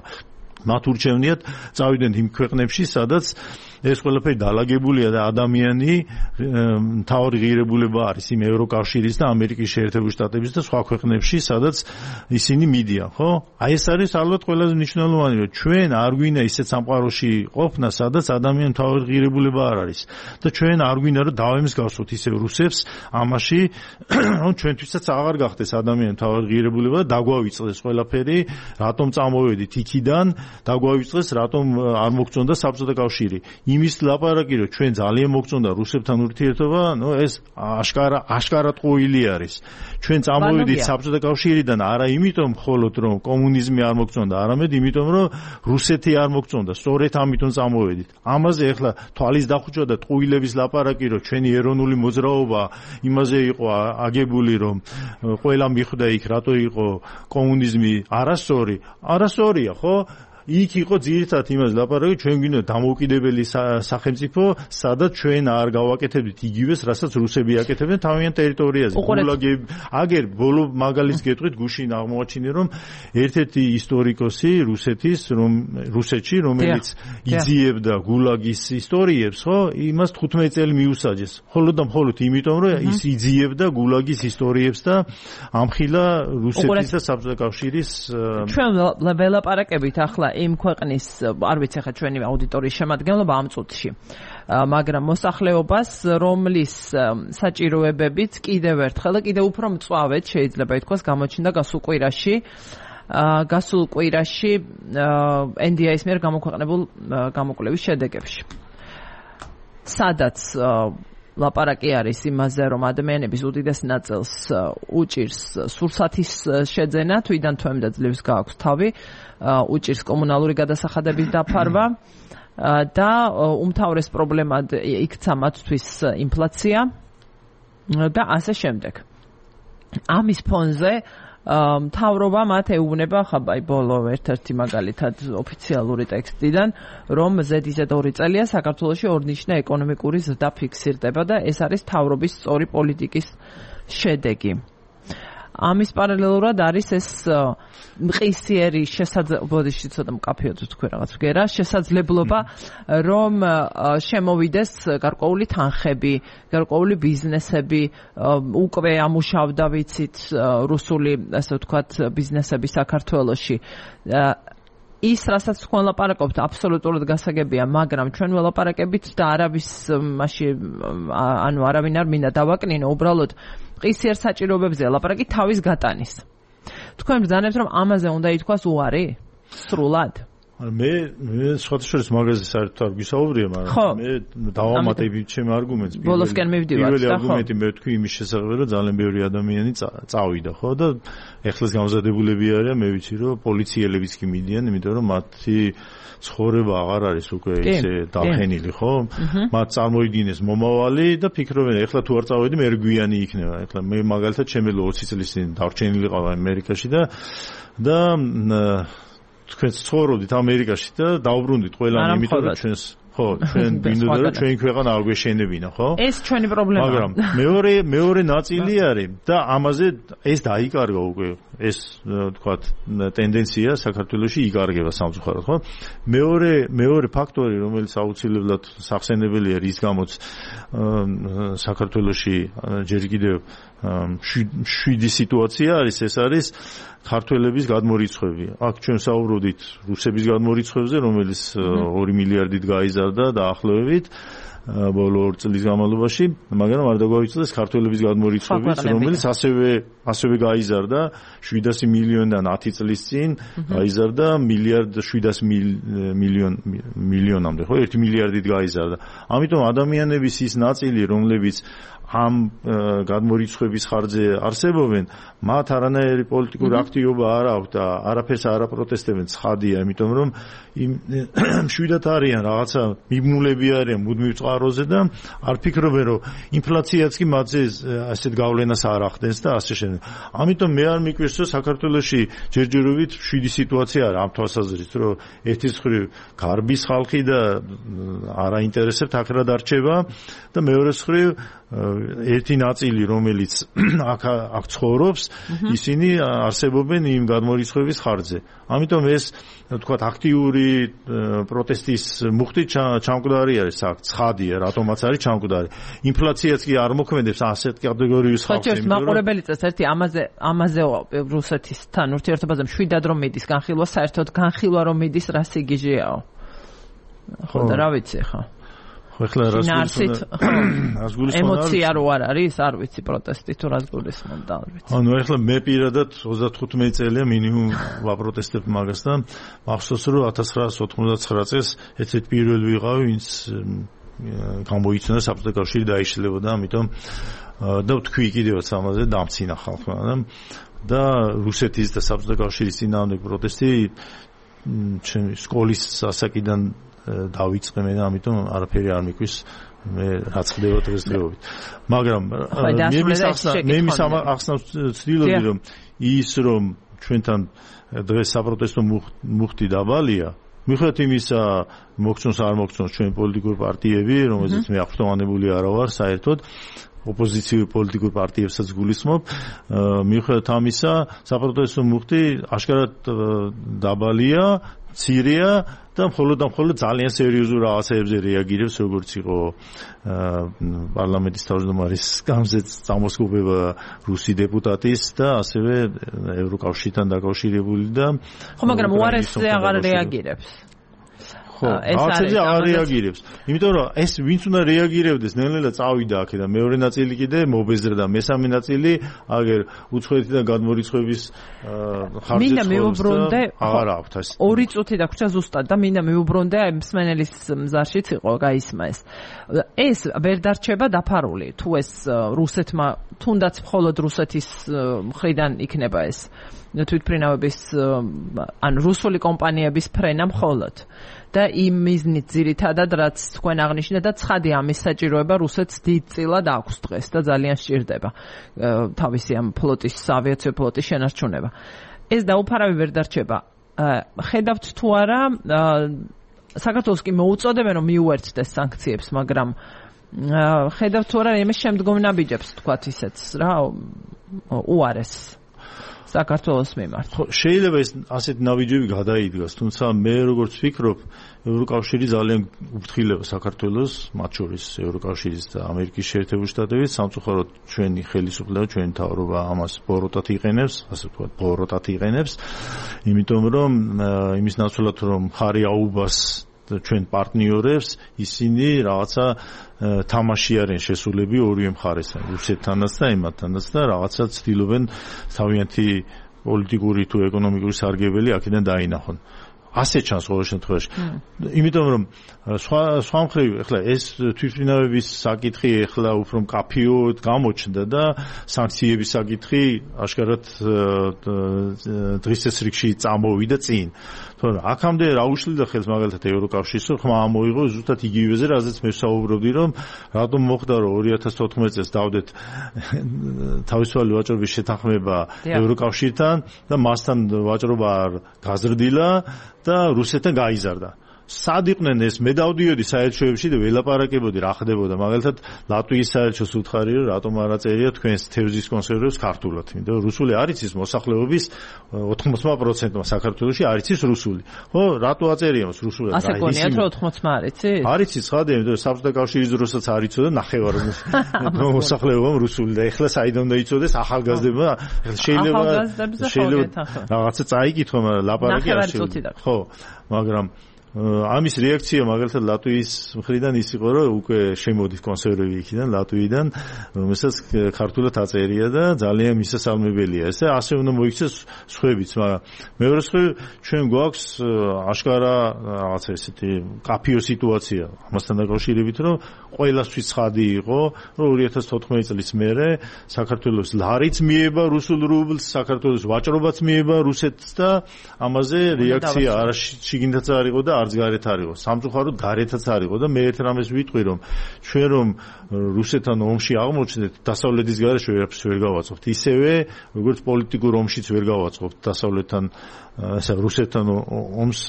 მათ ურჩევნიათ წავიდნენ იმ ქვეყნებში, სადაც ეს ყველაფერი დალაგებულია და ადამიანი მთავარი ღირებულება არის იმ ევროკავშირის და ამერიკის შეერთებული შტატების და სხვა ქვეყნებში, სადაც ისინი მიდიან, ხო? აი ეს არის ალბათ ყველაზე მნიშვნელოვანი, რომ ჩვენ არ გვინდა ისეთ სამყაროში ყოფნა, სადაც ადამიანის მთავარი ღირებულება არ არის. და ჩვენ არ გვინდა რომ დავემსგავსოთ ისევ რუსებს ამაში, რომ ჩვენთვისაც აღარ გახდეს ადამიანის მთავარი ღირებულება და დაგვავიწყდეს ყველაფერი, რატომ წამოვედით იქიდან, დაგვავიწყდეს, რატომ არ მოგწონდა საბჭოთა კავშირი. იმის ლაპარაკი რომ ჩვენ ძალიან მოგწონდა რუსებთან ურთიერთობა, ნუ ეს აშკარა აშკარა ტყუილი არის. ჩვენ წამოვედით საბჭოთა კავშირიდან არა იმიტომ მხოლოდ რომ კომუნიზმი არ მოგწონდა, არამედ იმიტომ რომ რუსეთი არ მოგწონდა. სწორედ ამიტომ წამოვედით. ამაზე ახლა თვალის დახუჭვა და ტყუილების ლაპარაკი რომ ჩვენი ეროვნული მოძრაობა იმაზე იყო აგებული რომ ყველა მიხვდა იქ რატო იყო კომუნიზმი არასწორი, არასწორია, ხო? იქ იყო ძირითადად იმას ლაპარაკი ჩვენ გვინდა დამოუკიდებელი სახელმწიფო სადაც ჩვენ არ გავაკეთებდით იგივეს რასაც რუსები აკეთებდნენ თავიანთ ტერიტორიაზე გულაგები აგერ ბოლო მაგალითს გეტყვით გუშინ აღმოაჩინე რომ ერთ-ერთი ისტორიკოსი რუსეთის რომ რუსეთში რომელიც იძიებდა გულაგის ისტორიებს ხო იმას თხუთმეტი წელი მიუსაჯეს მხოლოდ და მხოლოდ იმიტომ რომ ის იძიებდა გულაგის ისტორიებს და ამხილა რუსეთის და საბჭოთა კავშირის ჩვენ ველაპარაკებით ახლა იმ ქვეყნის არ ვიცი ხა ჩვენი აუდიტორიის შემადგენლობა ამ წუთში მაგრამ მოსახლეობას რომლის საჭიროებებიც კიდევ ერთხელ და კიდევ უფრო მწვავედ შეიძლება ითქვას გამოჩნდა გასულ კვირაში გასულ კვირაში ენ დი ეის მიერ გამოქვეყნებულ გამოკვლევის შედეგებში სადაც ლაპარაკი არის იმაზე, რომ ადამიანების უდიდეს ნაწილს უჭირს სურსათის შეძენა, თვიდან თვემდე ძლივს გააქვს თავი, უჭირს კომუნალური გადასახადების დაფარვა და უმთავრეს პრობლემად იქცა მათთვის ინფლაცია და ასე შემდეგ. ამის ფონზე მთავრობა მათ ეუბნება ხაბაი ბოლო ერთ-ერთი მაგალითად ოფიციალური ტექსტიდან რომ ზედიზედ ორი წელია საქართველოში ორნიშნა ეკონომიკური ზრდა ფიქსირდება და ეს არის მთავრობის სწორი პოლიტიკის შედეგი. ამის პარალელურად არის ეს მყისიერი შესაძლებლობა ცოტა მკაფიოდ თქვი რაღაც ვგერა შესაძლებლობა რომ შემოვიდეს გარკვეული თანხები, გარკვეული ბიზნესები უკვე ამუშავდა ვიცით რუსული ასე ვთქვათ ბიზნესები საქართველოში ის რასაც თქვენ ლაპარაკობთ აბსოლუტურად გასაგებია, მაგრამ ჩვენ ველაპარაკებით და არავის მასში ანუ არავინ არ მინდა დავაკნინო, უბრალოდ ყისიერ საჭიროებებზე ლაპარაკი თავის გატანის. თქვენ ბრძანებთ რომ ამაზე უნდა ითქვას უარი? სრულად? მე მე სხვათაშორის მაგაზე საერთოდ არ გვისაუბრია, მაგრამ მე დავამატები ჩემ არგუმენტს. ბოლოსკენ მივდივართ, პირველი არგუმენტი მე ვთქვი იმის შესახებ, რომ ძალიან ბევრი ადამიანი წავიდა, ხო და ეხლას გამზადებულები არიან, მე ვიცი რომ პოლიციელებიც კი მიდიან, იმიტომ რომ მათი ცხოვრება აღარ არის უკვე ისე დაფენილი, ხო? მათ წარმოიდგინეს მომავალი და ფიქრობენ, ეხლა თუ არ წავედი, მე რგვიანი იქნება. ეხლა მე მაგალითად ჩემი ოცი წლის წინ დარჩენილი ყავა ამერიკაში და და თქვენ ცხოვრობდით ამერიკაში და დაუბრუნდით ყველანი, იმიტომ რომ ჩვენს ხო, ჩვენ გვინდოდა რომ ჩვენი ქვეყანა არ გვეშენებინა, ხო? ეს ჩვენი პრობლემაა. მაგრამ მეორე მეორე ნაწილი არის და ამაზე ეს დაიკარგა უკვე ეს თქვათ ტენდენცია საქართველოში იკარგება სამწუხაროდ, ხო? მეორე მეორე ფაქტორი, რომელიც აუცილებლად სახსენებელია, რის გამოც საქართველოში ჯერ კიდევ შვიდი სიტუაცია არის, ეს არის ქართველების გადმორიცხვები. აქ ჩვენ საუბრობდით რუსების გადმორიცხვებზე, რომელიც ორი მილიარდით გაიზარდა დაახლოებით ბოლო ორი წლის განმავლობაში, მაგრამ არ დაგვაიცოდეს ქართველების გადმორიცხვების, რომელიც ასევე ასევე გაიზარდა შვიდასი მილიონიდან ათი წლის წინ გაიზარდა მილიარდ შვიდასი მილიონ მილიონამდე, ხო, ერთი მილიარდით გაიზარდა. ამიტომ ადამიანების ის ნაწილი, რომლებიც ამ გადმორიცხვების ხარჯზე არსებობენ, მათ არანაირი პოლიტიკური აქტივობა არ აქვს და არაფერს არ აპროტესტებენ, ცხადია, იმიტომ რომ მშვიდად არიან, რაღაცა მიბნულები არიან მუდმივ წყაროზე და არ ფიქრობენ, რომ ინფლაციაც კი მათზე ასეთ გავლენას არ ახდენს და ასე შემდეგ. ამიტომ მე არ მიკვირს, რომ საქართველოში ჯერჯერობით შვიდი სიტუაცია არის ამ თვალსაზრისით, რომ ერთის მხრივ გარბის ხალხი და არაინტერესებთ აქ რა დარჩება და მეორეს მხრივ ერთი ნაწილი, რომელიც აქ აქ ცხოვრობს, ისინი არსებობენ იმ გადმორიცხვების ხარჯზე. ამიტომ ეს თქვათ აქტიური პროტესტის მუხტი ჩამკვდარი არის აქ, ცხადია, რატომაც არის ჩამკვდარი. ინფლაციაც კი არ მოქმედებს ასეთ კატეგორიის ხალხს. ხო, მაყურებელი წეს ერთი ამაზე ამაზე რუსეთისთან ურთიერთობაზე მშვიდად რომ მიდის განხილვა, საერთოდ განხილვა რომ მიდის რა სიგიჟეაო. ხო და რა ვიცი ხო. ხო, ეხლა რას გულისხმობ? ემოცია რო არ არის, არ ვიცი პროტესტი თუ რას გულისხმობ და არ ვიცი. ანუ ეხლა მე პირადად ოცდათხუთმეტი წელია მინიმუმ ვაპროტესტებ მაგას და მახსოვს რომ ათას ცხრაასი ოცდათხმეტ წელს ერთ-ერთ პირველი ვიყავი, ვინც გამოიწვია საბჭოთა კავშირი დაიშლებოდა, ამიტომ და ვთქვი კიდევაც ამაზე დამცინა ხალხმა და რუსეთის და საბჭოთა კავშირის წინააღმდეგ პროტესტი ჩემი სკოლის ასაკიდან დავიწყე მე და ამიტომ არაფერი არ მიკვის მე რაც ხდება დღესდღეობით. მაგრამ მე მის ახსნას ვცდილობდი რომ ის რომ ჩვენთან დღეს საპროტესტო მუხტი დაბალია, მიუხედავად იმისა მოგწონს არ მოგწონს ჩვენ პოლიტიკური პარტიები, რომელზეც მე აღფრთოვანებული არა ვარ საერთოდ, ოპოზიციური პოლიტიკურ პარტიებსაც გულისხმობ, მიუხედავად ამისა საპროტესტო მუხტი აშკარად დაბალია, მცირეა და მხოლოდ და მხოლოდ ძალიან სერიოზულ რაღაცებზე რეაგირებს, როგორც იყო პარლამენტის თავმჯდომარის გამზეთ წამოსკობება რუსი დეპუტატის და ასევე ევროკავშირთან დაკავშირებული და ხო, მაგრამ უარესზე აღარ რეაგირებს. ხო, რაღაცებზე აღარ რეაგირებს. იმიტომ რომ ეს ვინც უნდა რეაგირებდეს, ნელ-ნელა წავიდა აქედან, მეორე ნაწილი კიდე მობეზრდა, მესამე ნაწილი აგერ უცხოეთიდან გადმორიცხვების ხარჯზე მინდა მივუბრუნდე, აღარ აქვს ეს. ორი წუთი დაგვრჩა ზუსტად და მინდა მივუბრუნდე აი მსმენელის მზარშიც იყო გაისმა ეს. ეს ვერ დარჩება დაფარული, თუ ეს რუსეთმა, თუნდაც მხოლოდ რუსეთის მხრიდან იქნება ეს თვითმფრინავების ან რუსული კომპანიების ფრენა მხოლოდ. და იმ მიზნით ძირითადად რაც თქვენ აღნიშნეთ და ცხადია ამის საჭიროება რუსეთს დიდწილად აქვს დღეს და ძალიან სჭირდება თავისი ამ ფლოტის ავიაციო ფლოტის შენარჩუნება. ეს დაუფარავი ვერ დარჩება. ხედავთ თუ არა საქართველოს კი მოუწოდებენ რომ მიუერთდეს სანქციებს, მაგრამ ხედავთ თუ არა იმის შემდგომ ნაბიჯებს თქვათ ისეც რა უარეს საქართველოს მიმართ. ხო, შეიძლება ეს ასეთ ნაბიჯები გადაიდგას, თუმცა მე როგორც ვფიქრობ, ევროკავშირი ძალიან უფრთხილება საქართველოს, მათ შორის ევროკავშირის და ამერიკის შეერთებული შტატების, სამწუხაროდ ჩვენი ხელისუფლება, ჩვენი მთავრობა ამას ბოროტად იყენებს, ასე ვთქვათ, ბოროტად იყენებს, იმიტომ რომ იმის ნაცვლად რომ ხარი აუბას ჩვენ პარტნიორებს, ისინი რაღაცა თამაში არიან შესულები ორივე მხარესთან, რუსეთთანაც და იმათთანაც და რაღაცა ცდილობენ თავიანთი პოლიტიკური თუ ეკონომიკური სარგებელი აქედან დაინახონ. ასე ჩანს ყოველ შემთხვევაში. იმიტომ რომ სხვა სხვა მხრივ ახლა ეს თვითმფრინავების საკითხი ახლა უფრო მკაფიოდ გამოჩნდა და სანქციების საკითხი აშკარად დღის წესრიგში წამოვიდა წინ. თორემ აქამდე რა უშლიდა ხელს მაგალითად ევროკავშირს, რომ ხმა ამოიღო ზუსტად იგივეზე, რაზეც მე ვსაუბრობდი, რომ რატომ მოხდა რომ ორი ათას თოთხმეტ წელს დავდეთ თავისუფალი ვაჭრობის შეთანხმება ევროკავშირთან და მასთან ვაჭრობა არ გაზრდილა და რუსეთთან გაიზარდა. სად იყვნენ ეს? მე დავდიოდი საელჩოებში და ველაპარაკებოდი რა ხდებოდა. მაგალითად ლატვიის საელჩოს უთხარი რომ რატომ არ აწერია თქვენს თევზის კონსერვებს ქართულად. იმიტომ რომ რუსული არ იცის მოსახლეობის ოთხმოცდა პროცენტმა საქართველოში არ იცის რუსული. ხო, რატო აწერია მას რუსულად? ასე გონიათ რომ ოთხმოცდა არ იცის? არ იცის ხადი, იმიტომ რომ საბჭოთა კავშირის დროსაც არ იცოდა ნახევარ მოსახლეობამ რუსული და ეხლა საიდან უნდა იცოდეს ახალგაზრდებმა? შეიძლება შეიძლება რაღაცა წაიკითხო, მაგრამ ლაპარაკი არ შეიძლება. ხო, მაგრამ ამის რეაქცია მაგალითად ლატვიის მხრიდან ის იყო, რომ უკვე შემოდით კონსერვები იქიდან ლატვიიდან, რომელსაც ქართულად აწერია და ძალიან მისასალმებელია. ესე ასე უნდა მოიქცეს სხვებიც, მაგრამ მეორე მხრივ ჩვენ გვაქვს აშკარა რაღაცა ესეთი კაფიო სიტუაცია ამასთან დაკავშირებით, რომ ყველასთვის ცხადი იყო, რომ ორი ათას თოთხმეტ წლის მერე საქართველოს ლარიც მიება რუსულ რუბლს, საქართველოს ვაჭრობაც მიება რუსეთს და ამაზე რეაქცია არ შიგნითაც არ იყო და არც გარეთ არ იყო. სამწუხაროდ გარეთაც არ იყო და მე ერთ რამეს ვიტყვი, რომ ჩვენ რომ რუსეთთან ომში აღმოჩნდეთ, დასავლეთის გარეშე ვერაფერს ვერ გავაწყობთ. ისევე როგორც პოლიტიკურ ომშიც ვერ გავაწყობთ დასავლეთთან ასე რუსეთთან ომს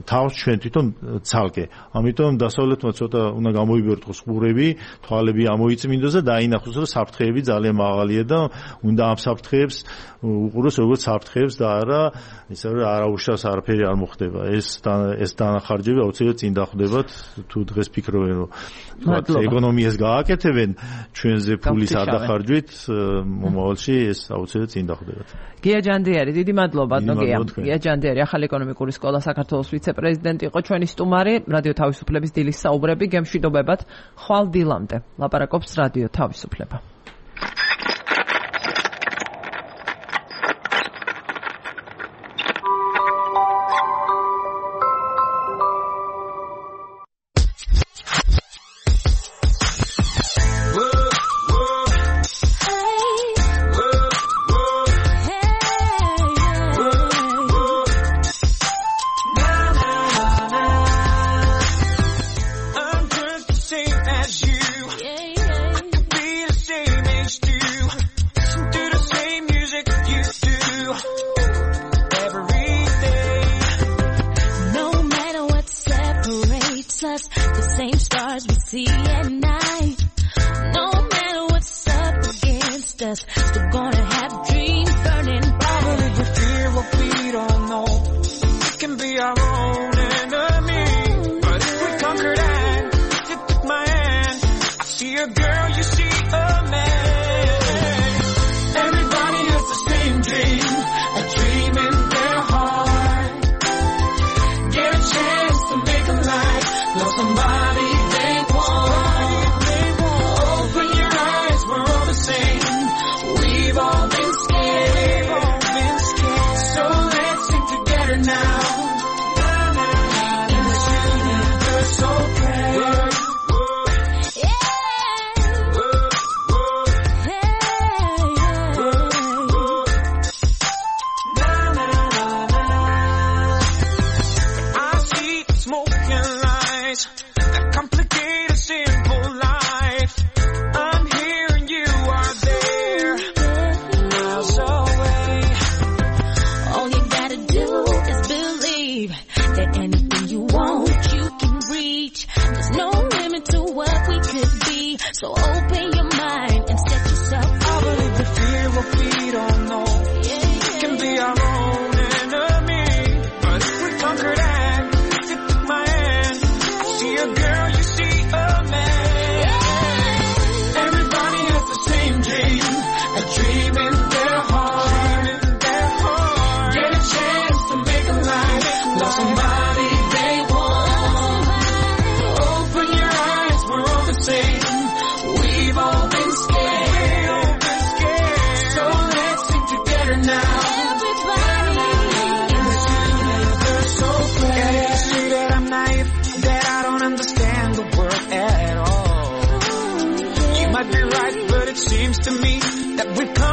თავს ჩვენ თვითონ ცალკე. ამიტომ დასავლეთმა ცოტა უნდა გამოიბერტყოს ყურები, თვალები ამოიწმინდოს და დაინახოს, რომ საფრთხეები ძალიან მაღალია და უნდა ამ საფრთხეებს უყუროს როგორც საფრთხეებს და არა ისე რომ არაუშავს არაფერი არ მოხდება. ეს ეს დანახარჯები აუცილებლად წინ დახვდებათ, თუ დღეს ფიქრობენ რომ ეკონომიას გააკეთებენ ჩვენზე ფულის არდახარჯვით, მომავალში ეს აუცილებლად წინ დახვდებათ. გია ჯანდიარი, დიდი მადლობა დოგია. გია ჯანდიარი, ახალი ეკონომიკური სკოლა საქართველოს ვიცე-პრეზიდენტი იყო ჩვენი სტუმარი, რადიო თავისუფლების დილის საუბრები გემშვიდობებად ხვალ დილამდე. ლაპარაკობს რადიო თავისუფლება. We've all it seems to me that we've come